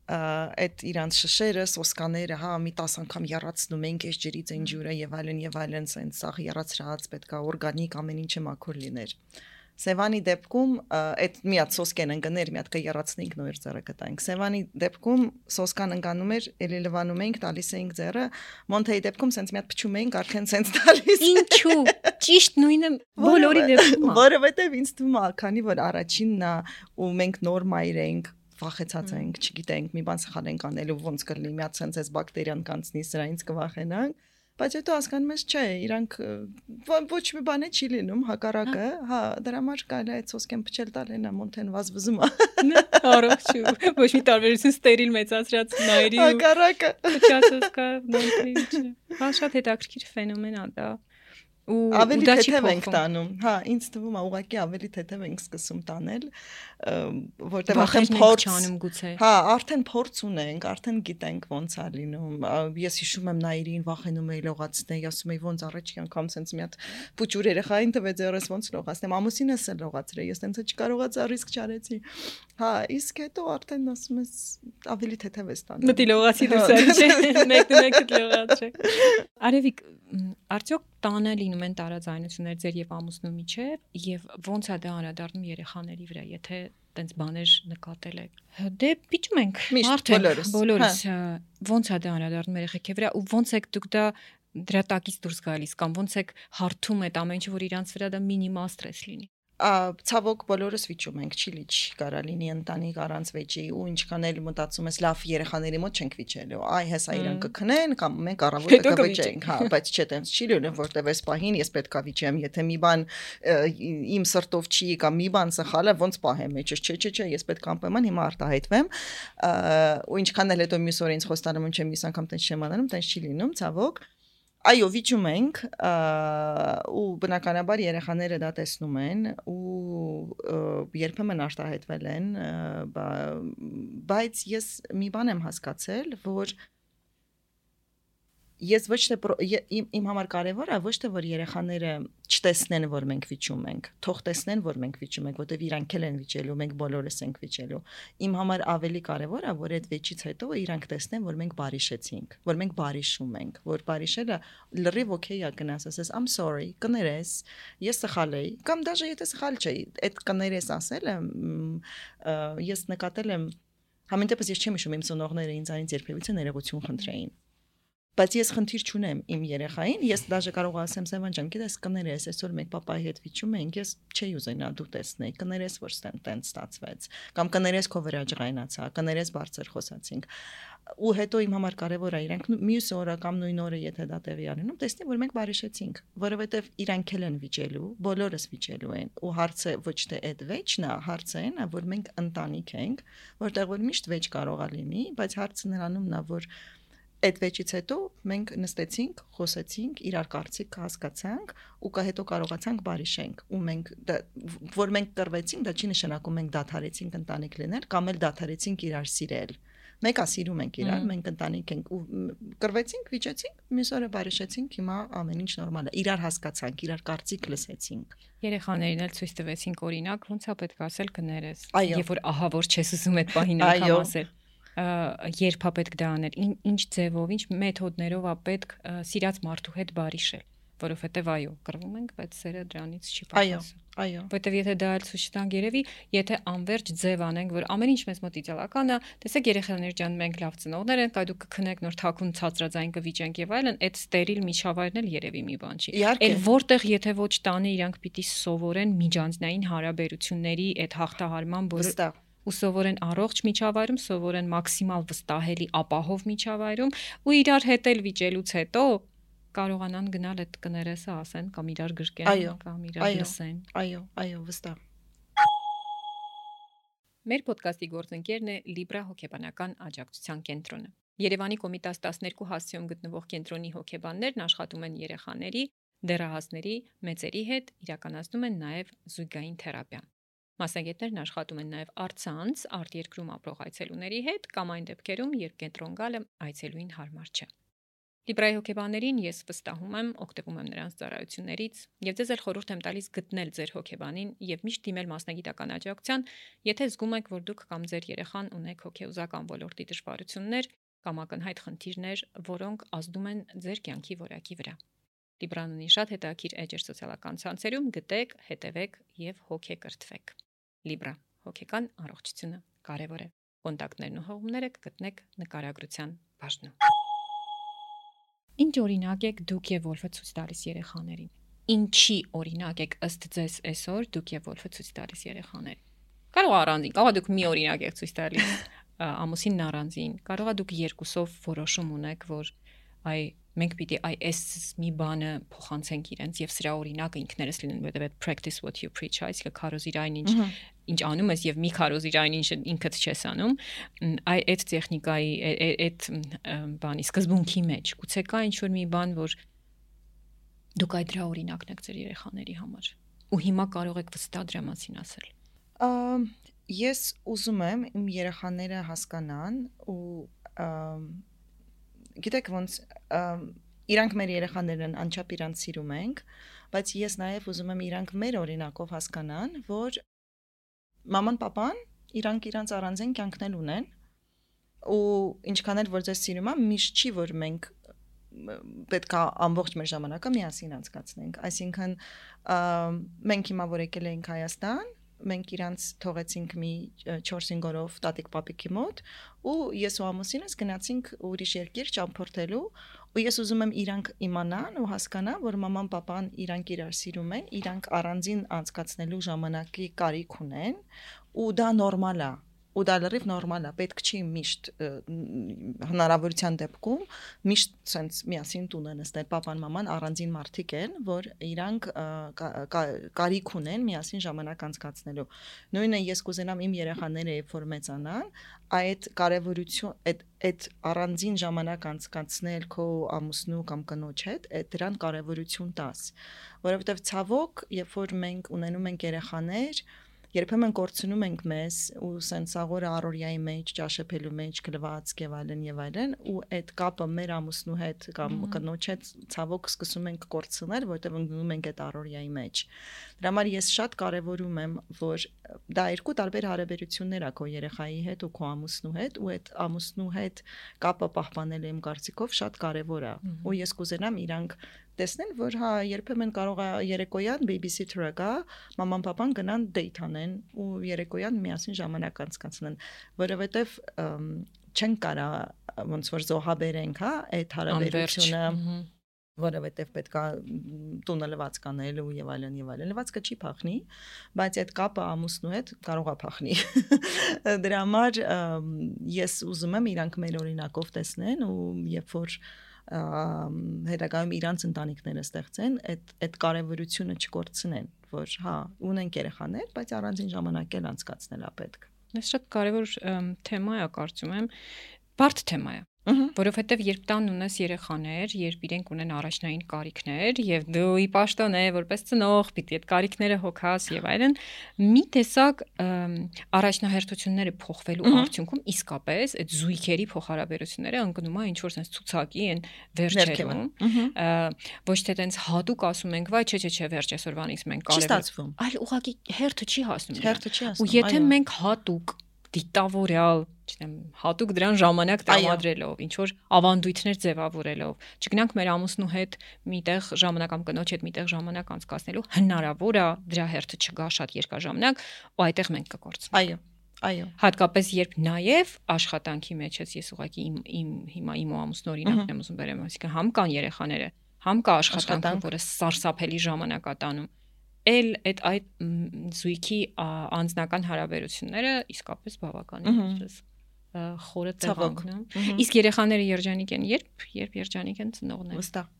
այդ իրանց շշերը, սոսկաները, հա, մի տասը անգամ եռացնում ենք այս ջրից այն ջուրը եւ այլն եւ այլն, sense սաղ եռացրած պետքա օրգանիկ ամեն ինչը մաքուր լիներ։ Սևանի դեպքում այդ մի հատ սոսկեն ընկներ, մի հատ կեռացնենք նոր ձեռը կտանք։ Սևանի դեպքում սոսկան ընկանում էր, էլի լվանում ենք, տալիս էինք ձեռը, Մոնթեի դեպքում sense մի հատ փչում էինք, արդեն sense տալիս։ Ինչու։ Ճիշտ նույնը բոլորի դեպքում։ Որովհետեւ ինձ թվում է, քանի որ առաջինն է ու մենք նոր մայր ենք վախեցած ենք, չգիտենք, մի բան սխալ ենք անել ու ոնց կլինի, մի հատ sense այս բակտերիան կանցնի, սրանից կվախենանք, բայց հետո հասկանում ես, չէ, իրանք ոչ մի բան է չի լինում, հակառակը, հա, դրա համար կարելի է այդ սոսկեն փչել տալ հենա Մոնթեն վազվզում է։ Առողջ ու ոչ մի տարբերություն ստերիլ մեծացրած Նաիրի ու հակառակը փչածոս կա Մոնթեի չէ։ Հա շատ հետաքրքիր ֆենոմեն է դա։ Ու ավելի թեթև ենք տանում, հա, ինձ թվում է ուղղակի ավելի թեթև ենք սկսում տանել, որտեղ արդեն փորձ չանում գուցե։ Հա, արդեն փորձ ունենք, արդեն գիտենք ոնց է լինում։ Ես հիշում եմ Նաիրին վախենում էի լողացնել, ասում էի ոնց առաջի անգամ sense մի հատ փուչուր երեխային տվեց երես ոնց լողացնեմ, ամուսինս էլ լողացրել, ես sense չկարողացա ռիսկ չարեցի։ Հա, իսկ հետո արդեն ասում ես ավելի թեթև ես տանում։ Մտի լողացի դուրս չէ, մեկը մեկը լողացրեք։ Արևիկ արդյոք տանը լինում են տարաձայնություններ ձեր եւ ամուսնու միջեւ եւ ոնց է դա անդրադառնում երեխաների վրա եթե տենց բաներ նկատել եք դե պիճում ենք բոլորս բոլորս ոնց է դա անդրադառնում երեխեքի վրա ու ոնց եք դուք դա դրա տակից դուրս գալիս կամ ոնց եք հարթում այդ ամեն ինչը որ իրանց վրա դա մինիմալ ստրես լինի ցավոք բոլորս վիճում ենք, չի լիչ կարա լինի ընտանիք առանց վեճի ու ինչքան էլ մտածում ես լավ երեխաների մոտ չենք վիճելու, այ հեսա իրան կքնեն կամ մենք առավոտը կվիճենք, հա, բայց չէ, տենց չի լինում, որտեվ այս պահին ես պետքա վիճեմ, եթե մի բան իմ սրտով չի կամ մի բան սխալ է, ոնց պահեմ մեջս, չէ, չէ, չէ, ես պետք անպայման հիմա արտահայտվեմ, ու ինչքան էլ հետո մյուս օր ինձ խոստանում եմ, չեմ մյուս անգամ տենց չեմ անում, տենց չի լինում, ցավոք Այո, վիճում ենք ու բնականաբար երեխաները դա տեսնում են ու երբեմն արտահայտվել են, բայց ես մի բան եմ հասկացել, որ ես ոչ թե իմ, իմ համար կարևոր է ոչ թե որ երեխաները չտեսնեն որ մենք վիճում ենք, թող տեսնեն որ մենք վիճում ենք, որտեվ իրանք էլ են վիճելու, մենք բոլորս ենք վիճելու։ Իմ համար ավելի կարևոր է որ այդ վեճից հետո իրանք տեսնեն որ մենք բարիշեցինք, որ մենք բարիշում ենք, որ բարիշելը լրիվ օքեյ է գնաս, ասես I'm sorry, կներես, ես սխալ էի, կամ դաժե եթե սխալ չէի, այդ կներես ասելը ես նկատել եմ, համեն դեպս ես չեմ հիշում իմ ծնողները ինձ այնից երբևիցե ներողություն խնդրեին։ Բայց ես խնդիր չունեմ իմ երեխային, ես դաժե կարող ասեմ Սևան ջան, գիտես կներես, այսօր մենք papayi հետ վիճում ենք, ես չէի ուզենա դու տեսնեի, կներես որ տենց ստացվեց, կամ կներես քո վրա ջղայնացա, կներես բարձր խոսացինք։ Ու հետո իմ համար կարևոր է իրանք մյուս օրը կամ նույն օրը եթե դա տեղի ունենում, տեսնի որ մենք բարիշեցինք, որովհետև իրանք էլ են վիճելու, բոլորս վիճելու են, ու հարցը ոչ թե այդ վեճն է, հարցը այն է, որ մենք ընտանիք ենք, որտեղ որ միշտ վեճ կարող է լինի, բայց հարցը նրանումն է, որ այդ վեճից հետո մենք նստեցինք, խոսեցինք, իրար կարծիք հասկացանք ու կա հետո կարողացանք բարիշենք ու մենք որ մենք կռվեցինք, դա չի նշանակում մենք դադարեցինք ընտանիք լինել կամ էլ դադարեցինք իրար սիրել։ Մենք ասիրում ենք իրար, մենք ընտանիք ենք ու կռվեցինք, վիճեցինք, մյուս օրը բարիշեցինք, հիմա ամեն ինչ նորմալ է։ Իրար հասկացանք, իրար կարծիք լսեցինք։ Երեխաներին էլ ցույց տվեցինք օրինակ, ոնց է պետք ասել կներես։ Երբ որ ահա որ չես ուզում այդ պահին անգամ ասել։ Երբ է պետք դա անել, ինչ ձևով, ինչ մեթոդներով է պետք սիրած մարդու հետ բարիշել, որովհետև այո, կռվում ենք, բայց սերը դրանից չի պակասում։ Այո, որովհետև եթե դա էլ ցույց տանք երևի, եթե անverջ ձև անենք, որ ամեն ինչ մեզ մոտ իդեալական է, տեսեք երեխաներ ջան, մենք լավ ծնողներ ենք, այ դուք կքնեք նոր թաքուն ցածրաձայն կվիճենք եւ այլն, այդ ստերիլ միջավայրն էլ երևի մի բան չի։ Էլ որտեղ եթե ոչ տանը իրանք պիտի սովորեն միջանձնային հարաբերությունների այդ հաղթահարման բոլոր ու սովորեն առողջ միջավայրում, սովորեն մաքսիմալ վստահելի ապահով միջավայրում ու իրար հետ էլ վիճելուց հետո կարողանան գնալ այդ կներեսը ասեն կամ իրար գրկեն կամ իրար լսեն։ Այո, այո, վստահ։ Մեր ոդկասթի գործընկերն է Libra հոգեբանական աջակցության կենտրոնը։ Երևանի Կոմիտաս տասներկու հասցեում գտնվող կենտրոնի հոգեբաններն աշխատում են երեխաների, դեռահասների, մեծերի հետ, իրականացնում են նաև զույգային թերապիա։ Մասնագետներն աշխատում են նաև առցանց արտերկրում ապրող այցելուների հետ կամ այն դեպքերում, երբ կենտրոն գալը այցելուին հարմար չէ։ Լիբրայի հոգեբաներին ես վստահում եմ, օգտվում եմ նրանց ծառայություններից եւ ձեզ էլ խորհուրդ եմ տալիս գտնել ձեր հոգեբանին եւ միշտ դիմել մասնագիտական աջակցության, եթե զգում եք, որ դուք կամ ձեր երեխան ունեք հոգեուզական ոլորտի դժվարություններ կամ ակնհայտ խնդիրներ, որոնք ազդում են ձեր կյանքի որակի վրա։ Լիբրան ունի շատ հետաքրքիր էջեր սոցիալական ցանցերում, գտեք, հետևեք եւ հոգեկրթվեք։ Libra հոգեկան առողջությունը կարևոր է։ Կոնտակտներն ու հողումները կգտնեք նկարագրության բաժնում։ Ինչ օրինակ եք դուք եւ Վոլֆը ցույց տալիս երեխաներին։ Ինչի օրինակ եք ըստ ձեզ այսօր դուք եւ Վոլֆը ցույց տալիս երեխաներին։ Կարող առանձին, կարող դուք մի օրինակ եք ցույց տալիս ամուսինն առանձին, կարող դուք երկուսով որոշում ունեք, որ այ մենք պիտի այ այս մի բանը փոխանցենք իրենց եւ սրա օրինակը ինքներս լինեն, որովհետեւ այդ practice what you preach, այսինքն քարոզիր այն ինչ ինչ անում ես եւ մի քարոզիր այն ինչը ինքդ չես անում, այ այդ տեխնիկայի այդ բանի սկզբունքի մեջ գուցե կա ինչ որ մի բան, որ դուք այդ դրա օրինակն եք ձեր երեխաների համար ու հիմա կարող եք վստահ դրա մասին ասել։ Ես ուզում եմ իմ երեխաները հասկանան ու գիտեք ոնց իրանք մեր երեխաներն են, անչափ իրանք սիրում ենք, բայց ես նաև ուզում եմ իրանք մեր օրինակով հասկանան, որ մաման, պապան իրանք իրանք առանձին կյանքն ունեն ու ինչքան էլ որ ձեզ սիրում եմ, միշտ չի որ մենք պետք է ամբողջ մեր ժամանակը միասին անցկացնենք, այսինքն մենք հիմա որ եկել ենք Հայաստան, մենք իրանց թողեցինք մի չորս-հինգ օրով տատիկ պապիկի մոտ ու ես ու ամուսինս գնացինք ուրիշ երկիր ճամփորդելու ու ես ուզում եմ իրանք իմանան ու հասկանան, որ մաման պապան իրանք իրար սիրում են, իրանք առանձին անցկացնելու ժամանակի կարիք ունեն ու դա նորմալ է ու դա լրիվ նորմալ է, պետք չի միշտ հնարավորության դեպքում միշտ sense միասին տուն են նստել պապան մաման առանձին մարդիկ են, որ իրանք կարիք ունեն միասին ժամանակ անցկացնելու։ Նույնը ես կուզենամ իմ երեխաները երբ որ մեծանան, այդ կարևորություն այդ այդ առանձին ժամանակ անցկացնել քո ամուսնու կամ կնոջ հետ, այդ դրան կարևորություն տաս, որովհետև ցավոք, երբ որ մենք ունենում ենք երեխաներ երբեմն կորցնում ենք մեզ ու սենց աղորը առօրյայի մեջ, ճաշեփելու մեջ, գլված եւ այլն եւ այլն ու այդ կապը մեր ամուսնու հետ կամ կնոջ հետ ցավոք սկսում ենք կորցնել, որտեղ ընկնում ենք այդ առօրյայի մեջ։ Դրա համար ես շատ կարեւորում եմ, որ դա երկու տարբեր հարաբերություններ ա քո երեխայի հետ ու քո ամուսնու հետ ու այդ ամուսնու հետ կապը պահպանելը իմ կարծիքով շատ կարեւոր է։ Ու ես կուզենամ իրանք տեսնել, որ հա երբեմն կարող է երեկոյան babysitter-ը գա, մաման պապան գնան date անեն ու երեկոյան միասին ժամանակ անցկացնեն, որովհետև չեն կարա ոնց որ զոհաբերենք, հա, այդ հարաբերությունը, որովհետև պետք է տունը լվացք անել ու եւ այլն եւ այլն։ Լվացքը չի փախնի, բայց այդ կապը ամուսնու հետ կարող է փախնի։ Դրա համար ես ուզում եմ իրանք մեր օրինակով տեսնեն ու երբ որ հետագայում իրանց ընտանիքները ստեղծեն, այդ այդ կարևորությունը չկորցնեն, որ հա, ունենք երեխաներ, բայց առանձին ժամանակ էլ անցկացնել է պետք։ Այս շատ կարևոր թեմա է, կարծում եմ, բարդ թեմա է, որովհետև երբ տան ունես երեխաներ, երբ իրենք ունեն առաջնային կարիքներ եւ դու ի պաշտոն է որպես ծնող, պիտի այդ կարիքները հոգաս եւ այլն, մի տեսակ առաջնահերթությունները փոխվելու արդյունքում իսկապես այդ զույգերի փոխհարաբերությունները ընկնում է ինչ որ sense ցուցակի են վերջերում, ոչ թե տենց հատուկ ասում ենք, վայ, չէ, չէ, չէ, վերջ այսօրվանից մենք կարևոր, այլ ուղղակի հերթը չի հասնում։ Հերթը չի հասնում։ Ու եթե մենք հատուկ դիտավորյալ, չնեմ, հատուկ դրան ժամանակ տրամադրելով, ինչ որ ավանդույթներ ձևավորելով, չգնանք մեր ամուսնու հետ միտեղ ժամանակ կամ կնոջ հետ միտեղ ժամանակ անցկացնելու, հնարավոր է դրա հերթը չգա շատ երկար ժամանակ, ու այդտեղ մենք կկորցնենք։ Այո, այո։ Հատկապես երբ նաև աշխատանքի մեջ ես ես ուղղակի իմ իմ հիմա իմ ու ամուսնու օրինակն եմ ուզում բերեմ, այսինքն համ կան երեխաները, համ կա աշխատանքը, որը սարսափելի ժամանակ է տանում, էլ այդ այդ զույգի անձնական հարաբերությունները իսկապես բավականին ինչպես խորը տեղանքն է։ Իսկ երեխաները երջանիկ են, երբ երբ երջանիկ են ծնողները։ Վստահ։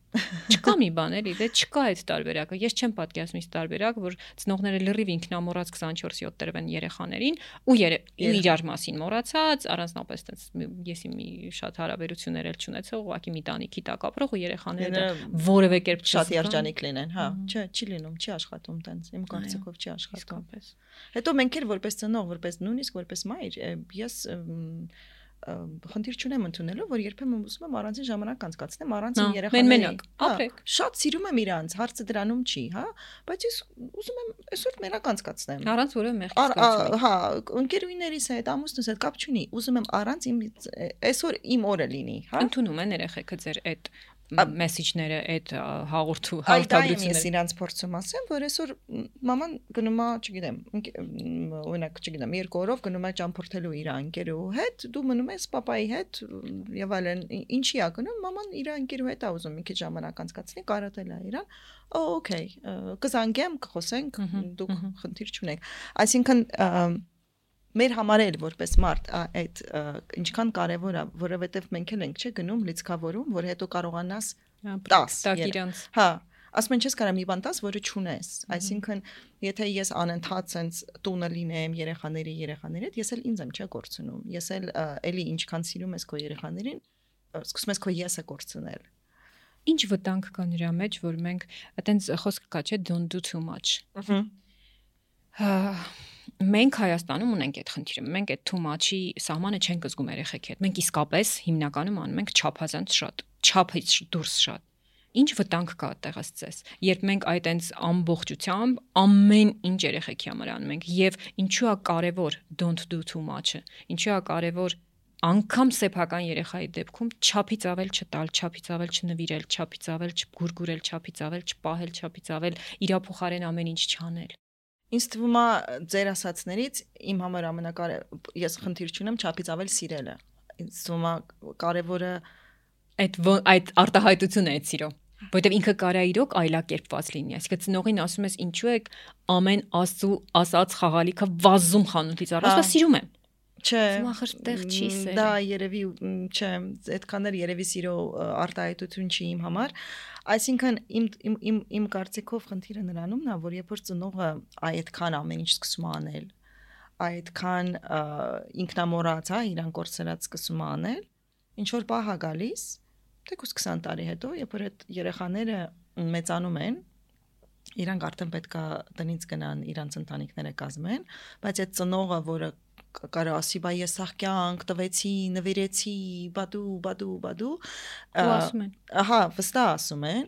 Չկա մի բան էլի, դե չկա այդ տարբերակը։ Ես չեմ պատկերացնում այս տարբերակ, որ ծնողները լրիվ ինքնամոռաց քսանչորս յոթ տրվեն երեխաներին ու իրար մասին մոռացած, առանձնապես տես ես մի շատ հարաբերություններ էլ չունեցող, ուղղակի մի տանիքի տակ ապրող ու երեխաները որևէ կերպ շատ երջանիկ լինեն, հա, չէ, չի լինում, չի աշխատում տենց, իմ կարծիքով չի աշխատում։ Հետո մենք էլ որպես ծնող, որպես նույնիսկ որպես մայր, ես խնդիր չունեմ ընդունելով, որ երբեմն ուզում եմ առանձին ժամանակ անցկացնեմ առանց իմ երեխաների։ Ապրեք։ Շատ սիրում եմ իրանց, հարցը դրանում չի, հա, բայց ես ուզում եմ այսօր մենակ անցկացնեմ։ Առանց որևէ մեղքի։ Հա, ընկերուհիներիս հետ, ամուսնուս հետ կապ չունի, ուզում եմ առանց իմ այսօր իմ օրը լինի, հա։ Ընդունում են երեխեքը ձեր այդ մեսեջները, այդ հաղորդու հաղորդագրությունները։ Ես իրանց փորձում ասեմ, որ այսօր մաման գնում է, չգիտեմ, օրինակ, չգիտեմ, երկու օրով գնում է ճամփորդելու իր ընկերու հետ, դու մնում ես papayi հետ եւ այլն, ինչի է գնում, մաման իր ընկերու հետ է ուզում մի քիչ ժամանակ անցկացնի, կարոտել է իրան։ Okay, կզանգեմ, կխոսենք, դուք խնդիր չունեք։ Այսինքն մեր համար էլ որպես մարդ այդ ինչքան կարևոր է, որովհետև մենք էլ ենք չէ գնում լիցքավորում, որ հետո կարողանաս տաս իրանց։ Հա, ասում են չես կարա մի բան տաս, որը չունես։ Այսինքն, եթե ես անընդհատ sense տունը լինեմ երեխաների երեխաների հետ, ես էլ ինձ եմ չէ կորցնում։ Ես էլ էլի ինչքան սիրում ես քո երեխաներին, սկսում ես քո եսը կորցնել։ Ինչ վտանգ կա նրա մեջ, որ մենք այտենց խոսք կա չէ don't do too much։ Ահա Մենք Հայաստանում ունենք այդ խնդիրը։ Մենք այդ too much-ի սահմանը չենք զգում երեխեքի հետ։ Մենք իսկապես հիմնականում անում ենք չափազանց շատ, չափից դուրս շատ։ Ինչ վտանգ կա այդտեղ ասես։ Երբ մենք այդ այնց ամբողջությամբ ամեն ինչ երեխեքի համար անում ենք եւ ինչու է կարեւոր don't do too much-ը։ Ինչու է կարեւոր անգամ սեփական երեխայի դեպքում չափից ավել չտալ, չափից ավել չնվիրել, չափից ավել չգուրգուրել, չափից ավել չպահել, չափից ավել իրա փոխարեն ամեն ինչ չանել։ Ինձ թվում է ձեր ասացներից իմ համար ամենակարևորը ես խնդիր չունեմ չափից ավել սիրելը։ Ինձ թվում է կարևորը այդ այդ արտահայտությունը է սիրո, որովհետև ինքը կարա իրոք այլակերպված լինի։ Այսինքն ծնողին ասում ես ինչու եք ամեն աստծու ասած խաղալիքը վազում խանութից առած, դա սիրում եմ։ Չէ, մախրտեղ չի սեր։ Դա երևի չէ, այդքան էլ երևի սիրո արտահայտություն չի իմ համար։ Այսինքն իմ իմ իմ կարծիքով խնդիրը նրանումն է, որ երբ որ ծնողը այդքան ամեն ինչ սկսում անել, այդքան ինքնամոռաց, հա, իրան կորցրած սկսում անել, ինչ որ պահ է գալիս, թեկուզ քսան տարի հետո, երբ որ այդ երեխաները մեծանում են, Իրանք արդեն պետքա տնից գնան իրանց ընտանիքները կազմեն, բայց այդ ծնողը, որը կարող ասի, բայ ես սաղ կյանք տվեցի, նվիրեցի, բադու, բադու, բադու, ու ասում են, ահա, վստահ ասում են,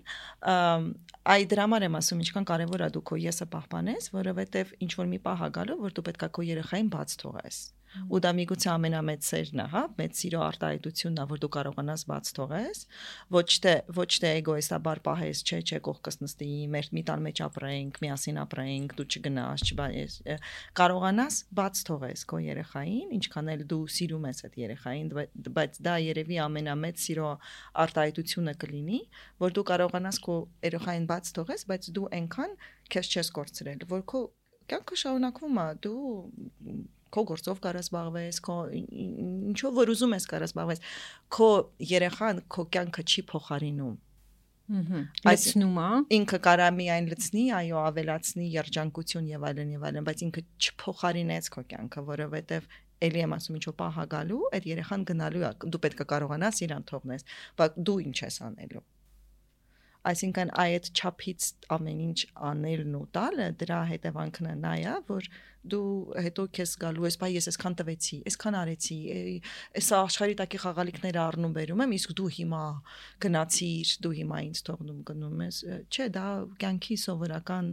այ դրա համար եմ ասում, ինչքան կարևոր է դու քո եսը պահպանես, որովհետև ինչ որ մի պահ է գալու, որ դու պետքա քո երեխային բաց թողես։ Ու դա միգուցե ամենամեծ սերն է, հա, մեծ սիրո արտահայտությունն է, որ դու կարողանաս բաց թողես, ոչ թե ոչ թե էգոիստաբար պահես, չէ, չէ, կողքս նստի, մեր մի տան մեջ ապրենք, միասին ապրենք, դու չգնաս, չբայես, կարողանաս բաց թողես քո երեխային, ինչքան էլ դու սիրում ես այդ երեխային, բայց դա երևի ամենամեծ սիրո արտահայտությունը կլինի, որ դու կարողանաս քո երեխային բաց թողես, բայց դու այնքան քեզ չես կորցրել, որ քո կյանքը շարունակվում է, դու քո գործով կարաս զբաղվես, քո ինչով որ ուզում ես կարաս զբաղվես, քո երեխան քո կյանքը չի փոխարինում։ Ահա։ Լցնում է։ Ինքը կարա միայն լցնի, այո, ավելացնի երջանկություն եւ այլն եւ այլն, բայց ինքը չփոխարինեց քո կյանքը, որովհետեւ էլի եմ ասում, ինչու պահ գալու, այդ երեխան գնալու է, դու պետք է կարողանաս իրան թողնես, բայց դու ինչ ես անելու։ Այսինքն այդ չափից ամեն ինչ անելն ու տալը դրա հետևանքն է նա է, որ դու հետո քեզ գալու ես, բայ ես այսքան տվեցի, այսքան արեցի, այս աշխարհի տակի խաղալիքները առնում բերում եմ, իսկ դու հիմա գնացիր, դու հիմա ինձ թողնում գնում ես, չէ, դա կյանքի սովորական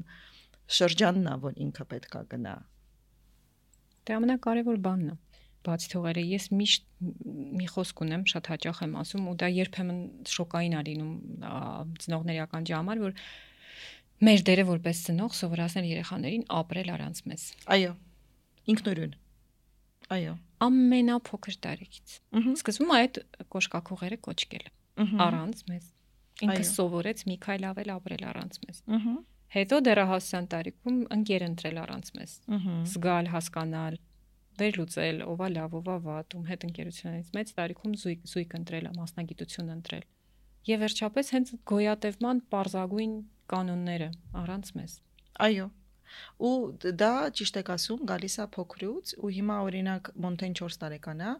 շրջանն է, որ ինքը պետքա գնա։ Դա ամենակարևոր բանն է։ Բացի թողերը, ես միշտ մի խոսք ունեմ, շատ հաճախ եմ ասում, ու դա երբեմն շոկային է լինում ծնողների ականջի համար, որ մեր դերը որպես ծնող սովորացնել երեխաներին ապրել առանց մեզ։ Այո, ինքնուրույն։ Այո, ամենափոքր տարիքից։ Սկզբում այդ կոշկակողերը կոչկել առանց մեզ։ Ինքը սովորեց մի քայլ ավել ապրել առանց մեզ։ Հետո դեռահասության տարիքում ընկեր ընտրել առանց մեզ։ Զգալ, հասկանալ, վերլուծել, ովա լավ, ովա վատ, ում հետ ընկերությունից մեծ տարիքում զույգ զույգ ընտրել, մասնագիտություն ընտրել։ Եվ վերջապես հենց գոյատևման պարզագույն կանոնները առանց մեզ։ Այո։ Ու դա ճիշտ եք ասում, գալիս է փոքրուց, ու հիմա օրինակ Մոնթեն չորս տարեկան է,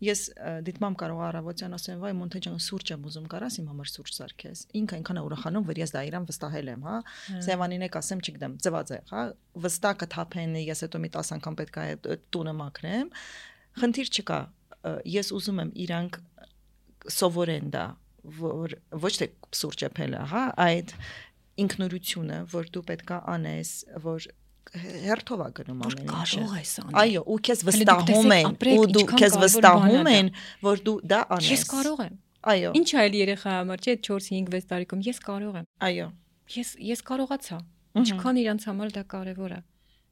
ես դիտմամ կարող առավոտյան ասեմ, վայ Մոնթեն ջան, սուրճ եմ ուզում, կարաս իմ համար սուրճ սարքես։ Ինքը այնքան է ուրախանում, որ ես դա իրան վստահել եմ, հա։ Սևանին եք ասեմ, չգիտեմ, ծվածեղ, հա, վստահ կթափեն, ես հետո մի տասը անգամ պետք է տունը մաքրեմ։ Խնդիր չկա, ես ուզում եմ իրանք սովորեն դա, որ ոչ թե սուրճ էփելը, հա, այդ ինքնուրույնությունը, որ դու պետքա անես, որ հերթով է գնում ամեն ինչը։ Կարող ես անել։ Այո, ու քեզ վստահում են, ու դու քեզ վստահում են, որ դու դա անես։ Ես կարող եմ։ Այո։ Ինչ այլ երեխա համար, չէ, չորս հինգ վեց տարեկում ես կարող եմ։ Այո։ Ես ես կարողացա։ Ինչքան իրանց համար դա կարևոր է։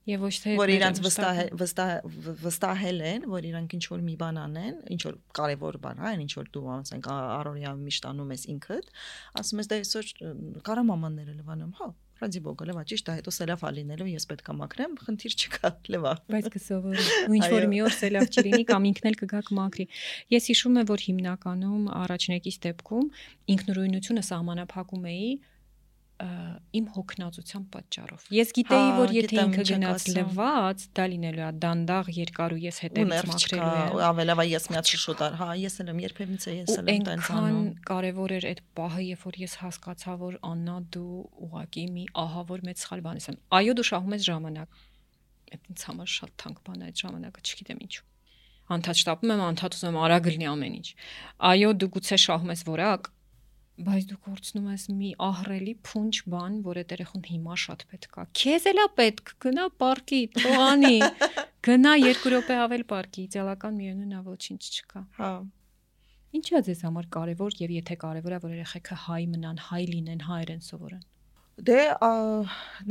Եվ ոչ թե որ իրանց վստահ վստահ վստահել են, որ իրանք ինչ որ մի բան անեն, ինչ որ կարևոր բան, հա, ինչ որ դու ասենք առօրյա միշտ անում ես ինքդ, ասում ես դա այսօր կարա մամանները լվանամ, հա, ռադի բոգը լվա, ճիշտ է, հետո սելավ ալինելու ես պետքա մաքրեմ, խնդիր չկա, լվա։ Բայց կսովորի։ Ու ինչ որ մի օր սելավ չլինի կամ ինքն էլ կգաք մաքրի։ Ես հիշում եմ, որ հիմնականում առաջնեկից դեպքում ինքնուրույնությունը սահմանափակում էի իմ հոգնածության պատճառով։ Ես գիտեի, որ եթե ինքը գնաց լվաց, դա լինելու է դանդաղ երկար ու ես հետևից մաքրելու եմ։ Ու ավելավա ես միած շուտար, հա, ես էլ եմ երբևիցե ես էլ եմ տենց անում։ Այնքան կարևոր էր այդ պահը, երբ որ ես հասկացա, որ Աննա դու ուղակի մի ահավոր մեծ սխալ բան ես անում։ Այո, դու շահում ես ժամանակ։ Այդ ինձ համար շատ թանկ բան է այդ ժամանակը, չգիտեմ ինչու։ Անդադ շտապում եմ, անդադ ուզում եմ արագ լինի ամեն ինչ։ Այո, դու գուցե շահում ես որակ, բայց դու կորցնում ես մի ահռելի փունջ բան, որ այդ երեխուն հիմա շատ պետք է։ Քեզ էլա պետք, գնա պարկի, թողանի, գնա երկու րոպե ավել պարկի, իդեալական միևնույն է, ոչինչ չկա։ Հա։ Ինչա ձեզ համար կարևոր եւ եթե կարևոր է, որ երեխեքը հայ մնան, հայ լինեն, հայեր են սովորեն։ Դե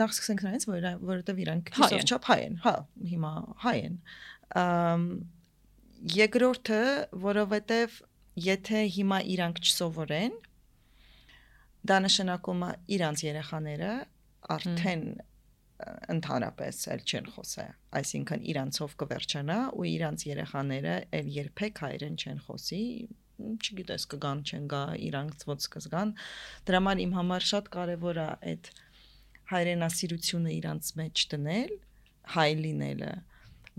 նախ սկսենք նրանից, որ որովհետեւ իրանք քիչով չափ հայ են, հա, հիմա հայ են։ Երկրորդը, որովհետեւ եթե հիմա իրանք չսովորեն, դա նշանակում է իրանց երեխաները արդեն ընդհանրապես էլ չեն խոսա, այսինքն իրանցով կվերջանա ու իրանց երեխաները էլ երբեք հայերեն չեն խոսի, չգիտես կգան չեն գա, իրանք ոնց կզգան, դրա համար իմ համար շատ կարևոր է այդ հայրենասիրությունը իրանց մեջ դնել, հայ լինելը,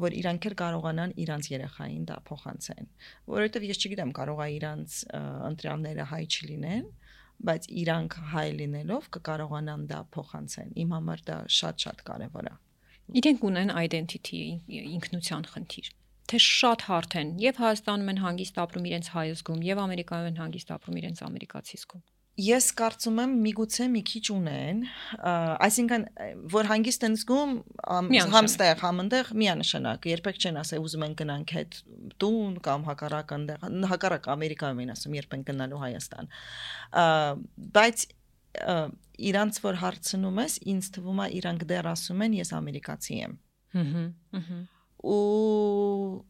որ իրանք էլ կարողանան իրանց երեխային դա փոխանցեն, որովհետև ես չգիտեմ կարող է իրանց ընտրյալները հայ չլինեն, բայց իրանք հայ լինելով կկարողանան դա փոխանցեն։ Իմ համար դա շատ-շատ կարևոր է։ Իրենք ունեն identity, ինքնության խնդիր։ Թե շատ հարթ են եւ Հայաստանում են հանգիստ ապրում իրենց հայ զգում եւ Ամերիկայում են հանգիստ ապրում իրենց ամերիկացի զգում։ Ես կարծում եմ միգուցե մի քիչ ունեն, այսինքն որ հանգիստ են զգում համստեղ, համընդեղ միանշանակ, երբեք չեն ասել ուզում են գնանք հետ տուն կամ հակառակ այնտեղ, հակառակ Ամերիկայում են ասում երբ են գնալու Հայաստան։ Բայց իրանց որ հարցնում ես, ինձ թվում է իրանք դեռ ասում են ես ամերիկացի եմ։ Հհհ, հհհ։ Ու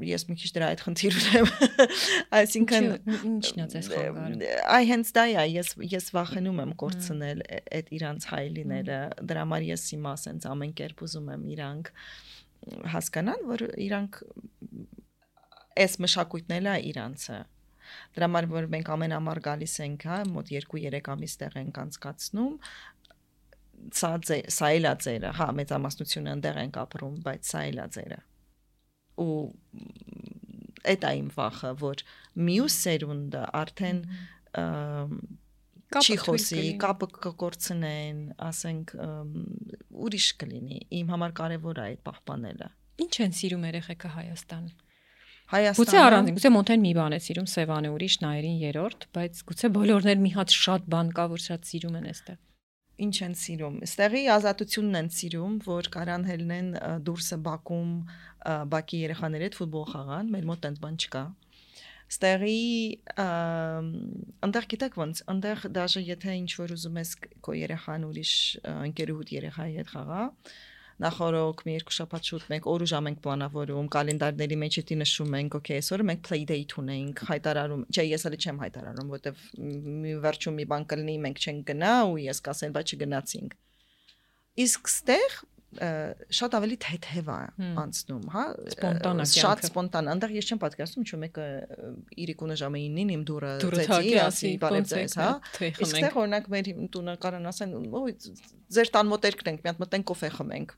ես մի քիչ դրա այդ խնդիր ունեմ, այսինքն ինչն է ձեզ խանգարում։ Այ հենց դա է, ես ես վախենում եմ կորցնել այդ իրանց հայ լինելը, դրա համար ես հիմա ասենց ամեն կերպ ուզում եմ իրանք հասկանան, որ իրանք այս մշակույթն է իրանցը։ Դրա համար որ մենք ամենամար գալիս ենք, հա, մոտ երկու-երեք ամիս տեղ ենք անցկացնում, սա սա էլ է ձերը, հա, մեծամասնությունը այնտեղ ենք ապրում, բայց սա էլ է ձերը։ Ու այդ այն վախը, որ մյուս սերունդը արդեն չի խոսի, կապը կկորցնեն, ասենք ուրիշ կլինի։ Իմ համար կարևոր է այդ պահպանելը։ Ինչ են սիրում երեխեքը Հայաստան։ Հայաստանը Գուցե առանձին, գուցե Մոնթեն մի բան է սիրում, Սևանը ուրիշ, Նայերին երրորդ, բայց գուցե բոլորներ մի հատ շատ բան կա, որ շատ սիրում են այստեղ։ Ինչ են սիրում։ Ստեղի ազատությունն են սիրում, որ կարան հելնեն դուրսը Բաքում, Բաքի երեխաների հետ ֆուտբոլ խաղան, մեր մոտ այնպես բան չկա։ Ստեղի այնտեղ գիտեք ոնց, այնտեղ դաժե եթե ինչ որ ուզում ես քո երեխան ուրիշ ընկերուհուդ երեխայի հետ խաղա, նախորոք մի երկու շաբաթ շուտ մենք օր ու ժամ ենք պլանավորում, կալենդարների մեջ էտի նշում ենք, օքեյ, այսօր մենք play date ունենք, հայտարարում, չէ, ես հələ չեմ հայտարարում, որտեվ մի վերջում մի բան կլինի, մենք չենք գնա ու ես կասեմ, բայց չգնացինք։ Իսկ ստեղ շատ ավելի թեթև է անցնում, հա, շատ սպոնտան, այնտեղ ես չեմ պատկերացնում, ինչու մեկը իրիկունը ժամը իննին իմ դուրը ծեծի, ասի, բարև ձեզ, հա։ Իսկ ստեղ օրինակ մեր տունը կարան ասեն, ոյ, ձեր տան մոտ երկն ենք, մի հատ մտենք կոֆե խմենք։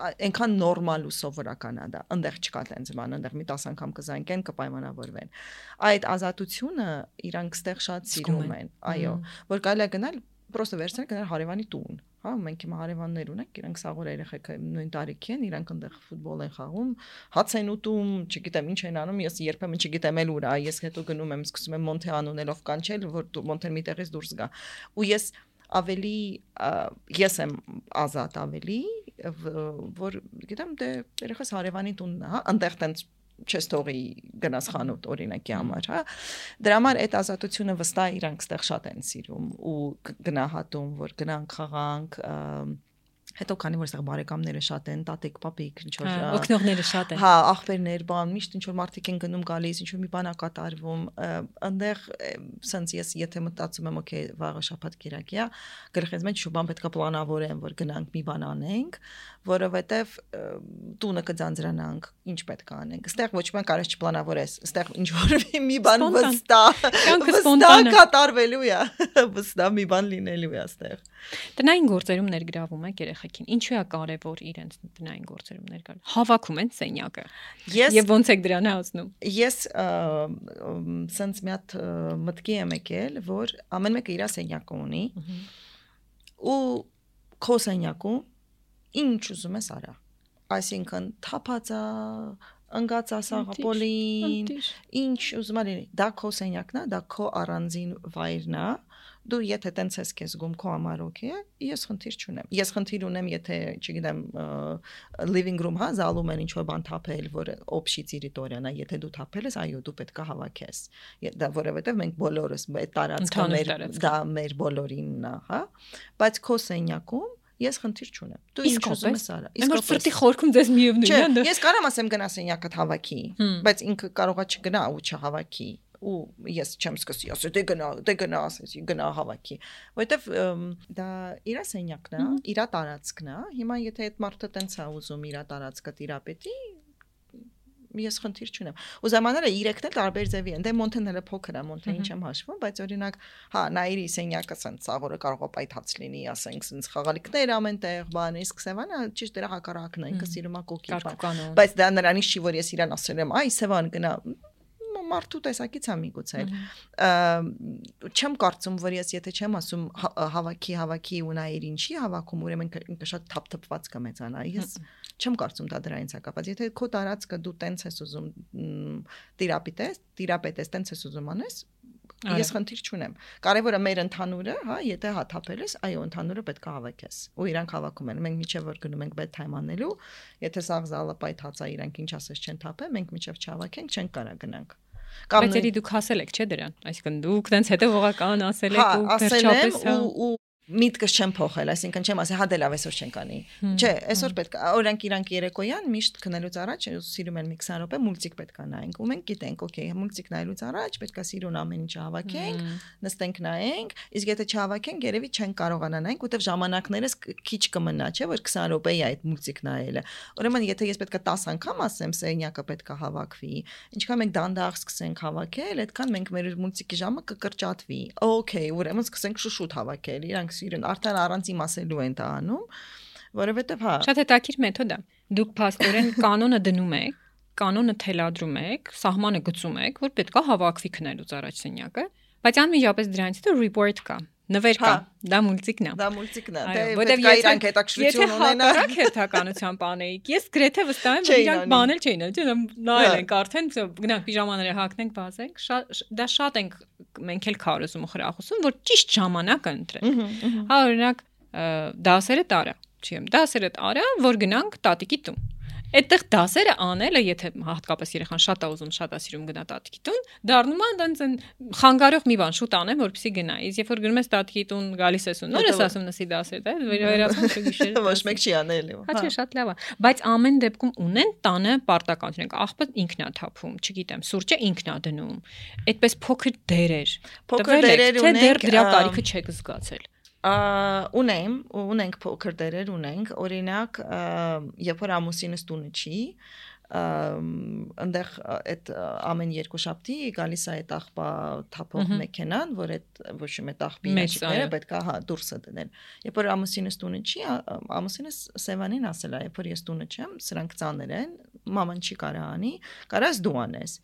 Այնքան նորմալ ու սովորական է դա, այնտեղ չկա տենց բան, այնտեղ մի տասը անգամ կզանգեն, կպայմանավորվեն։ Այդ ազատությունը իրանք ստեղ շատ սիրում են, այո, որ կարելի է գնալ, պրոստը վերցնել գնալ հարևանի տուն, հա, մենք հիմա հարևաններ ունենք, իրանք սաղոր երեխեքը նույն տարիքի են, իրանք այնտեղ ֆուտբոլ են խաղում, հաց են ուտում, չգիտեմ ինչ են անում, ես երբեմն չգիտեմ էլ ուր է, ես հետո գնում եմ, սկսում եմ Մոնթե անունելով կանչել, որ Մոնթեն մի տեղից դուրս գա։ Ու ես ավելի ես եմ ազատ ավելի, որ գիտեմ դե երեխաս հարևանի տունն է, հա, այնտեղ տենց չես թողի գնաս խանութ օրինակի համար, հա։ Դրա համար այդ ազատությունը վստահ իրանք ստեղ շատ են սիրում ու գնահատում, որ գնանք խաղանք, հետո քանի որ այստեղ բարեկամները շատ են, տատիկ, պապիկ, ինչ որ օգնողները շատ են։ Հա, աղբերներ, բան, միշտ ինչ որ մարդիկ են գնում գալիս, ինչ որ մի բան է կատարվում, այնտեղ սենց ես եթե մտածում եմ, օքեյ, վաղը շաբաթ կիրակի է, գլխից մեջ շուտ բան պետք է պլանավորեմ, որ գնանք մի բան անենք, որովհետև տունը կձանձրանանք, ինչ պետք է անենք։ Այստեղ ոչ մի բան կարես չպլանավորես, այստեղ ինչ որ մի բան վստահ, վստահ կատարվելու է, վստահ մի բան լինելու է այստեղ։ Տնային գործերում ներգրավում եք երեխեքին։ Ինչու է կարևոր իրենց տնային գործերում ներգրավում։ Հավաքում են սենյակը։ Եվ ոնց եք դրան հասնում։ Ես սենց մի հատ մտքի եմ եկել, որ ամեն մեկը իր սենյակը ունի ու քո սենյակում ինչ ուզում ես արա։ Այսինքն թափածա, ընկած ասաղապոլին, ինչ ուզում ես, դա քո սենյակն է, դա քո առանձին վայրն է։ Դու եթե տենց ես քեզ զգում քո համար օքեյ է, ես խնդիր չունեմ։ Ես խնդիր ունեմ, եթե, չգիտեմ, living room, հա, զալում են ինչ-որ բան թափել, որ օբշի տերիտորիան է, եթե դու թափել ես, այո, դու պետք է հավաքես։ Դա որովհետև մենք բոլորս այդ տարածքը մեր դա մեր բոլորինն է, հա։ Բայց քո սենյակում ես խնդիր չունեմ։ Դու ինչ ուզում ես արա։ Իսկ որ ֆրտի խորքում դες միևնույն է։ Ես կարամ ասեմ գնա սենյակը հավաքի, բայց ինքը կարողա չգնա ու չհավաքի։ Ու ես չեմ սկսի ասել դե գնա դե գնա ասեցի գնա հավաքի որովհետև դա իր սենյակն է իր տարածքն է հիմա եթե այդ մարդը տենց է ուզում իր տարածքը տիրապետի ես խնդիր չունեմ ու զամանները երեքն էլ տարբեր ձևի են դե Մոնթեն հələ փոքր է Մոնթեին չեմ հաշվում բայց օրինակ հա նայրի սենյակը սենց ցավորը կարող է պայթած լինի ասենք սենց խաղալիքներ ամենտեղ բան իսկ Սևանը ճիշտ դրա հակառակն է ինքը սիրում է կոկի բայց դա նրանից չի որ ես իրան ասել եմ այ Սևան գնա մարդու տեսակից է միգուցե չեմ կարծում որ ես եթե չեմ ասում հավաքի հավաքի ու նայիր ինչի հավաքում ուրեմն ինքը շատ թափթփված կմեծանա ես չեմ կարծում դա դրանից է կապված եթե քո տարածքը դու տենց ես ուզում տիրապետես տիրապետես տենց ես ուզում անես ես խնդիր չունեմ կարևորը մեր ընդհանուրը հա եթե հաթափել ես այո ընդհանուրը պետք է հավաքես ու իրանք հավաքում են մենք միջև որ գնում ենք bedtime անելու եթե սաղ զալը պայթած է իրանք ինչ ասես չեն թափել մենք միջև չհավաքենք չենք կարա գնանք Բայց երի դուք ասել եք չէ դրան այսինքն դուք տենց հետևողական ասել եք ու վերջապես հա ու միտքս չեմ փոխել, այսինքն չեմ ասել, հա դե լավ այսօր չենք անի։ Չէ, այսօր պետք է օրենք իրանք երեկոյան միշտ քնելուց առաջ սիրում են մի քսան րոպե մուլտիկ պետք է նայենք։ Ու մենք գիտենք, օքեյ, մուլտիկ նայելուց առաջ պետք է սիրուն ամեն ինչ հավաքենք, նստենք նայենք, իսկ եթե չհավաքենք, երևի չենք կարողանա նայենք, որտեվ ժամանակներս քիչ կմնա, չէ, որ քսան րոպե է այդ մուլտիկ նայելը։ Ուրեմն եթե ես պետք է տասը անգամ ասեմ, սենյակը պետք է հավաքվի, ինչքան մենք դանդաղ սկսենք հավաքել, այդքան մենք մեր մուլտիկի ժամը կկրճատվի։ Օքեյ, ուրեմն սկսենք շուշուտ հավաքել, իրանք սիրուն արդեն առանց իմասելու են դա անում, որովհետև հա Շատ հետաքրքիր մեթոդ է։ Դուք փաստորեն կանոնը դնում եք, կանոնը թելադրում եք, սահմանը գծում եք, որ պետք է հավաքվի քնելուց առաջ սենյակը, բայց անմիջապես դրանից հետո report կա, նվեր կա, դա մուլտիկն է։ Դա մուլտիկն է, դե պետք է իրանք հետաքրքրություն ունենան։ Եթե հակառակ հերթականությամբ անեիք, ես գրեթե վստահ եմ, որ իրանք բանել չէին, չէ՞, նայել ենք արդեն, գնանք պիժամաները հագնենք, բացենք, դա շատ ենք մենք էլ քարոզում ու խրախուսում, որ ճիշտ ժամանակը ընտրել։ Հա, օրինակ, դասերը տարա, չի եմ, դասերը տարա, որ գնանք տատիկի տուն։ Այդտեղ դասերը անելը, եթե հատկապես երեխան շատ է ուզում, շատ է սիրում գնա տատիկի տուն, դառնում է այնց խանգարող մի բան շուտ անեմ, որպեսզի գնա։ Իսկ երբ որ գնում ես տատիկի տուն, գալիս ես ու նոր ես ասում նսի դասեր, դա վերահրացում չգիշերը։ Ոչ մեկ չի անել։ Հա, չէ, շատ լավ է։ Բայց ամեն դեպքում ունեն տանը պարտականություն, աղբը ինքն է թափում, չգիտեմ, սուրճը ինքն է դնում։ Այդպես փոքր դերեր։ Փոքր դերեր ունենք, թե դեռ դրա կարիքը չեք զգացել։ Ունեմ, ունենք փոքր դերեր ունենք, օրինակ, երբ որ ամուսինս տունը չի, այնտեղ այդ ամեն երկու շաբթի գալիս է այդ աղբա թափող մեքենան, որ այդ ոչ մի աղբի ящикները պետք է հա դուրս դնել։ Երբ որ ամուսինս տունը չի, ամուսինս Սևանին ասել է, երբ որ ես տունը չեմ, սրանք ծանր են, մաման չի կարա անի, կարաս դու անես։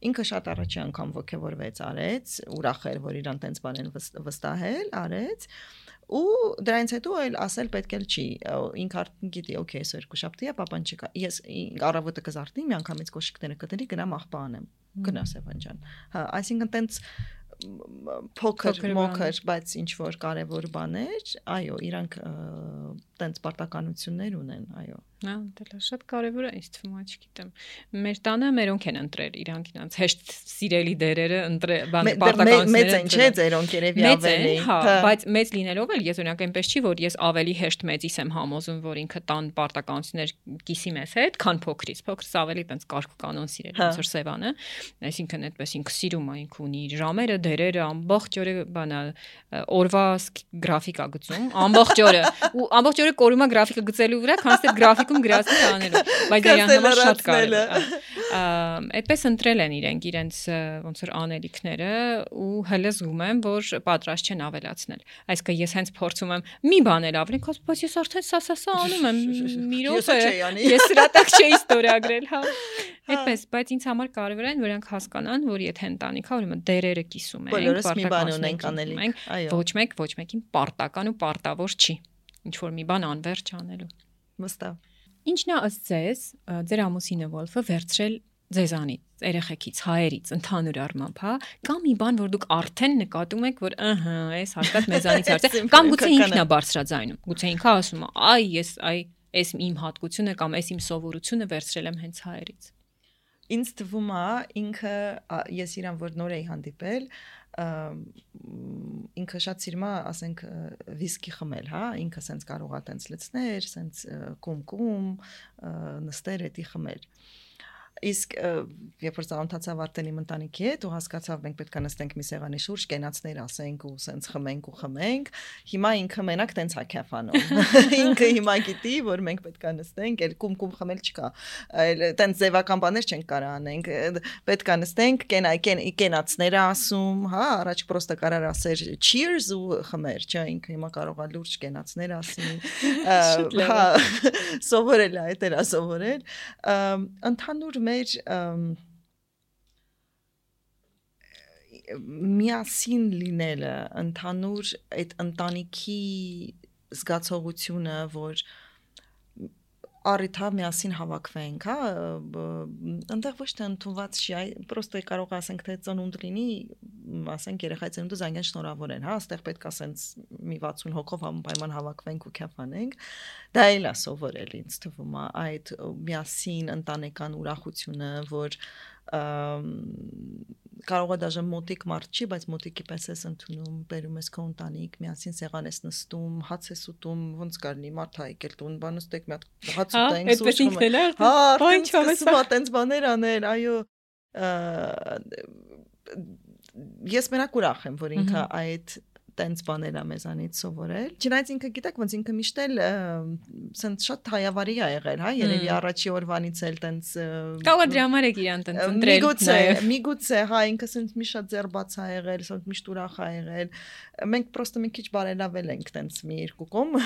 Ինքը շատ առաջի անգամ ոգևորվեց, արեց, ուրախ էր, որ իրան տենց բան են վստահել, արեց։ Ու դրանից հետո այլ ասել պետք էլ չի ինքը արդեն գիտի օքեյ այսօր երկու շաբթի է պապան չկա ես առավոտը կզարթնի մի անգամից կոշիկները կդնի գնամ աղբա անեմ գնա Սևան ջան հա այսինքն տենց փոքր մոքր բայց ինչ որ կարևոր բաներ այո իրանք տենց պարտականություններ ունեն այո հա դա շատ կարևոր է ինձ թվում է չգիտեմ մեր տանը մերոնք են ընտրել իրանք իրանք հեշտ սիրելի դերերը ընտրել բան պարտականությունները մեծ են չէ ձերոնք երևի ավելի հա բայց մեծ լինելով էլ ես օրինակ այնպես չի որ ես ավելի հեշտ մեծից եմ համոզում որ ինքը տան պարտականություններ կիսի մեզ հետ քան փոքրից փոքրս ավելի տենց կարգ կանոն սիրել ոնց որ Սևանը այսինքն այդպես ինքը սիրում է ինքը ունի ժամերը դերերը ամբողջ օրը բանա օրվա գրաֆիկա գծում ամբողջ օրը ու ամբողջ օրը կորում է գրաֆիկը գծելու վրա քանս այդ գրաֆիկում գրածներ անելու բայց դա իրան համար շատ կարևոր է այդպես ընտրել են իրենք իրենց ոնց որ անելիքները ու հələ զգում եմ որ պատրաստ չեն ավելացնել այսինքն ես հենց փորձում եմ մի բան էլ ավելի քաս բայց ես արդեն սա-սա-սա անում եմ մի րոպե ես սրա տակ չէի ստորագրել հա այդպես բայց ինձ համար կարևոր է որ նրանք հասկանան որ եթե ընտանիքա ուրեմն դերերը կիսում են բոլորս մի բան ունենք անելիք այո ոչ մեկ ոչ մեկին պարտական ու պարտավոր չի ինչ որ մի բան անverջ անելու վստահ ինչն է ըստ ձեզ ձեր ամուսինը Վոլֆը վերցրել ձեզանից երեխեքից հայերից ընդհանուր առմամբ հա կամ մի բան որ դուք արդեն նկատում եք որ ըհը այս հաստատ մեզանից արծե կամ գուցե ինքն է բարձրաձայնում գուցե ինքը ասում է այ ես այ այս իմ հատկությունը կամ այս իմ սովորությունը վերցրել եմ հենց հայերից ինձ թվում է ինքը ես իրան որ նոր էի հանդիպել ինքը շատ սիրում է ասենք վիսկի խմել հա ինքը սենց կարող է տենց լցներ սենց կում-կում նստեր էդի խմել իսկ երբ որ ծանոթացավ արդեն իմ ընտանիքի հետ ու հասկացավ մենք պետք է նստենք մի սեղանի շուրջ կենացներ ասենք ու սենց խմենք ու խմենք հիմա ինքը մենակ տենց է քեֆանում ինքը հիմա գիտի որ մենք պետք է նստենք էլ կում-կում խմել չկա այլ տենց ձևական բաներ չենք կարող անենք պետք է նստենք կենա կենացներ ասում հա առաջ պրոստը կարար ասեր cheers ու խմեր չէ ինքը հիմա կարող է լուրջ կենացներ ասի հա սովորել է դա սովորել ընդհանուր մեր միասին լինելը, ընդհանուր այդ ընտանիքի զգացողությունը, որ առիթա միասին հավաքվենք, հա, այնտեղ ոչ թե ընդունված չի, այ պրոստը կարող ասենք թե ծնունդ լինի, ասենք երեխայի ծնունդը զանգեն շնորհավոր են, հա, այստեղ պետք է ասենց մի վաթսուն հոգով անպայման հավաքվենք ու քեֆանենք, դա էլ է սովորել ինձ թվում է այդ միասին ընտանեկան ուրախությունը, որ կարող է դաժե մոտիկ մարդ չի, բայց մոտիկի պես ես ընդունում, բերում ես քո ընտանիք, միասին սեղան ես նստում, հաց ես ուտում, ոնց կարնի մարդ հայ եկել տուն, բան ուստեք մի հատ հաց ուտենք, այդպես ինքն էլ հա, սկսում է տենց բաներ անել, այո, ես մենակ ուրախ եմ, որ ինքը այդ տենց բաներ է մեզանից սովորել։ Չնայած ինքը գիտեք, ոնց ինքը միշտ էլ սենց շատ հայավարի է եղել, հա, երևի առաջի օրվանից էլ տենց կարող է դրա համար է իրան տենց ընտրել։ Միգուցե, միգուցե, հա, ինքը սենց մի շատ ձերբաց է եղել, սենց միշտ ուրախ է եղել։ Մենք պրոստը մի քիչ բարելավել ենք տենց մի երկու կողմ,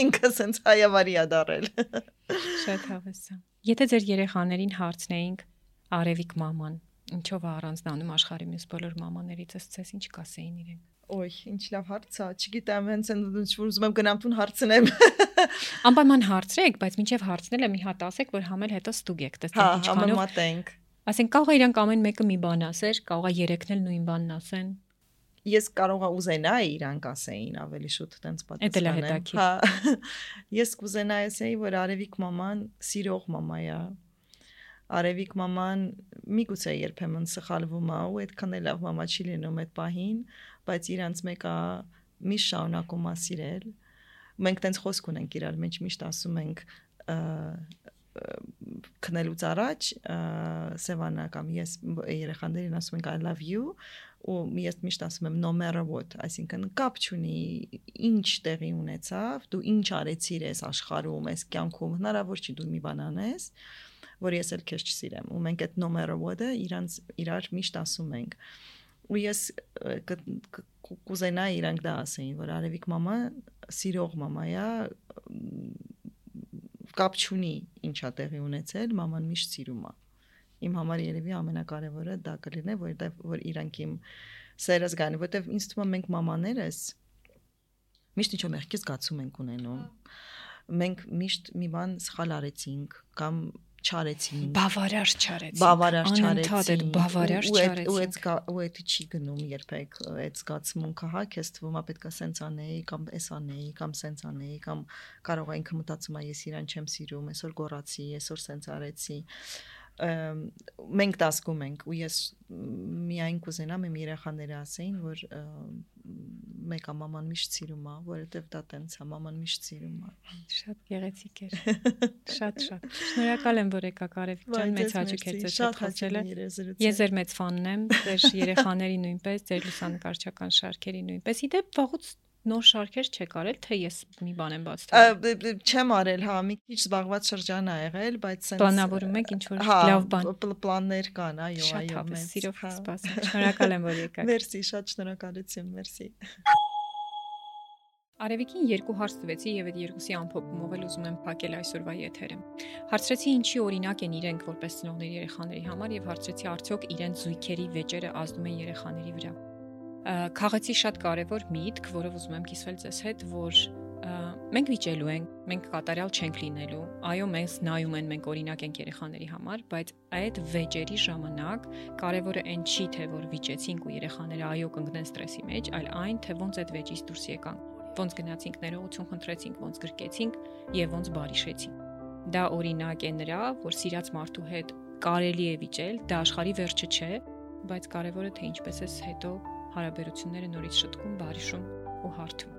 ինքը սենց հայավարի է դարել։ Շատ հավես է։ Եթե ձեր երեխաներին հարցնեինք Արևիկ մաման, ինչով է առանձնանում աշխարհի մյուս բոլոր մամաներից, ըստ ինչ կասեին իրենք։ Ոյ, ինչ լավ հարց է, չգիտեմ, հենց այնց որ ուզում եմ գնամ տուն հարցնեմ։ Անպայման հարցրեք, բայց մինչև հարցնելը մի հատ ասեք, որ համել հետո ստուգեք, տեսեք ինչքանով։ Հա, համեմատենք։ Ասենք կարող է իրանք ամեն մեկը մի բան ասեր, կարող է երեքն էլ նույն բանն ասեն։ Ես կարող եմ ուզենայի իրանք ասեին ավելի շուտ տենց պատասխանեմ։ Հա։ Ես կուզենայի ասեի, որ Արևիկ մաման սիրող մամա է։ Արևիկ մաման միգուցե երբեմն սխալվում է ու այդքան էլ լավ մամա չի լինում այդ պահին, բայց իրանց մեկը միշտ շարունակում է սիրել։ Մենք տենց խոսք ունենք իրար մեջ, միշտ ասում ենք քնելուց առաջ Սևանա կամ ես երեխաներին ասում ենք I love you ու ես միշտ ասում եմ no matter what, այսինքն կապ չունի ինչ տեղի ունեցավ, դու ինչ արեցիր այս աշխարհում, այս կյանքում, հնարավոր չի դու մի բան անես, որ ես էլ քեզ չսիրեմ ու մենք այդ no matter what-ը իրանց իրար միշտ ասում ենք ու ես կուզենայի իրանք դա ասեին, որ Արևիկ մամա սիրող մամա է, կապ չունի ինչա տեղի ունեցել, մաման միշտ սիրում է։ Իմ համար երևի ամենակարևորը դա կլինի, որտեղ որ իրանք իմ սերը զգան, որտեղ ինձ թվում է մենք մամաներս միշտ ինչ-որ մեղքի զգացում ենք ունենում։ Մենք միշտ մի բան սխալ արեցինք կամ չարեցինք, բավարար չարեցինք, բավարար չարեցինք, բավարար չարեցինք, ու այդ ու այդ չի գնում երբեք այդ զգացմունքը, հա, քեզ թվում է պետք է սենց անեի կամ էս անեի կամ սենց անեի կամ կարող է ինքը մտածում է ես իրան չեմ սիրում, այսօր գոռացի, այսօր սենց արեցի։ Մենք դա զգում ենք ու ես միայն կուզենամ իմ երեխաները ասեին, որ մեկը մաման միշտ սիրում է, որովհետև դա տենց է, մաման միշտ սիրում է։ Շատ գեղեցիկ էր։ Շատ շատ։ Շնորհակալ եմ, որ եկաք Արևիկ ջան, մեծ հաճույք էր ձեզ հետ խոսելը։ Ես ձեր մեծ ֆանն եմ, ձեր երեխաների նույնպես, ձեր լուսանկարչական շարքերի նույնպես։ Իդեպ վաղուց նոր շարքեր չեք արել, թե ես մի բան եմ բաց թողել։ Չեմ արել, հա, մի քիչ զբաղված շրջան ա եղել, բայց սենց պլանավորում եք ինչ-որ լավ բան։ Պլաններ կան, այո, այո, շատ մեծ սիրով սպասում։ Շնորհակալ եմ, որ եկաք։ Մերսի, շատ շնորհակալություն, մերսի։ Արևիկին երկու հարց տվեցի եւ այդ երկուսի ամփոփումով էլ ուզում եմ փակել այսօրվա եթերը։ Հարցրեցի ինչի օրինակ են իրենք որպես ծնողների երեխաների համար եւ հարցրեցի արդյոք իրենց զույգերի վեճերը ազդում են երեխաների վրա։ Քաղեցի շատ կարևոր միտք, որով ուզում եմ կիսվել ձեզ հետ, որ մենք վիճելու ենք, մենք կատարյալ չենք լինելու, այո, մեզ նայում են, մենք օրինակ ենք երեխաների համար, բայց այդ վեճերի ժամանակ կարևորը այն չի, թե որ վիճեցինք ու երեխաները այո կընկնեն ստրեսի մեջ, այլ այն, թե ոնց այդ վեճից դուրս եկանք, ոնց գնացինք ներողություն խնդրեցինք, ոնց գրկեցինք եւ ոնց բարիշեցինք։ Դա օրինակ է նրա, որ սիրած մարդու հետ կարելի է վիճել, դա աշխարհի վերջը չէ, բայց կարևորը թե ինչպես է հետո հարաբերությունները նորից շտկում, բարիշում ու հարթում։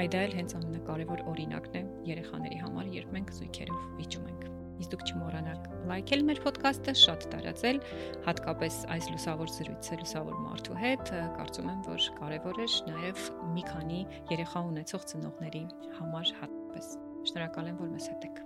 Այդ էլ հենց ամենակարևոր օրինակն է երեխաների համար, երբ մենք զույգերով վիճում ենք։ Իսկ դուք չմոռանաք լայքել մեր ոդքասթը, շատ տարածել, հատկապես այս լուսավոր զրույցը լուսավոր մարդու հետ, կարծում եմ, որ կարևոր է նաև մի քանի երեխա ունեցող ծնողների համար հատկապես։ Շնորհակալ եմ, որ մեզ հետ եք։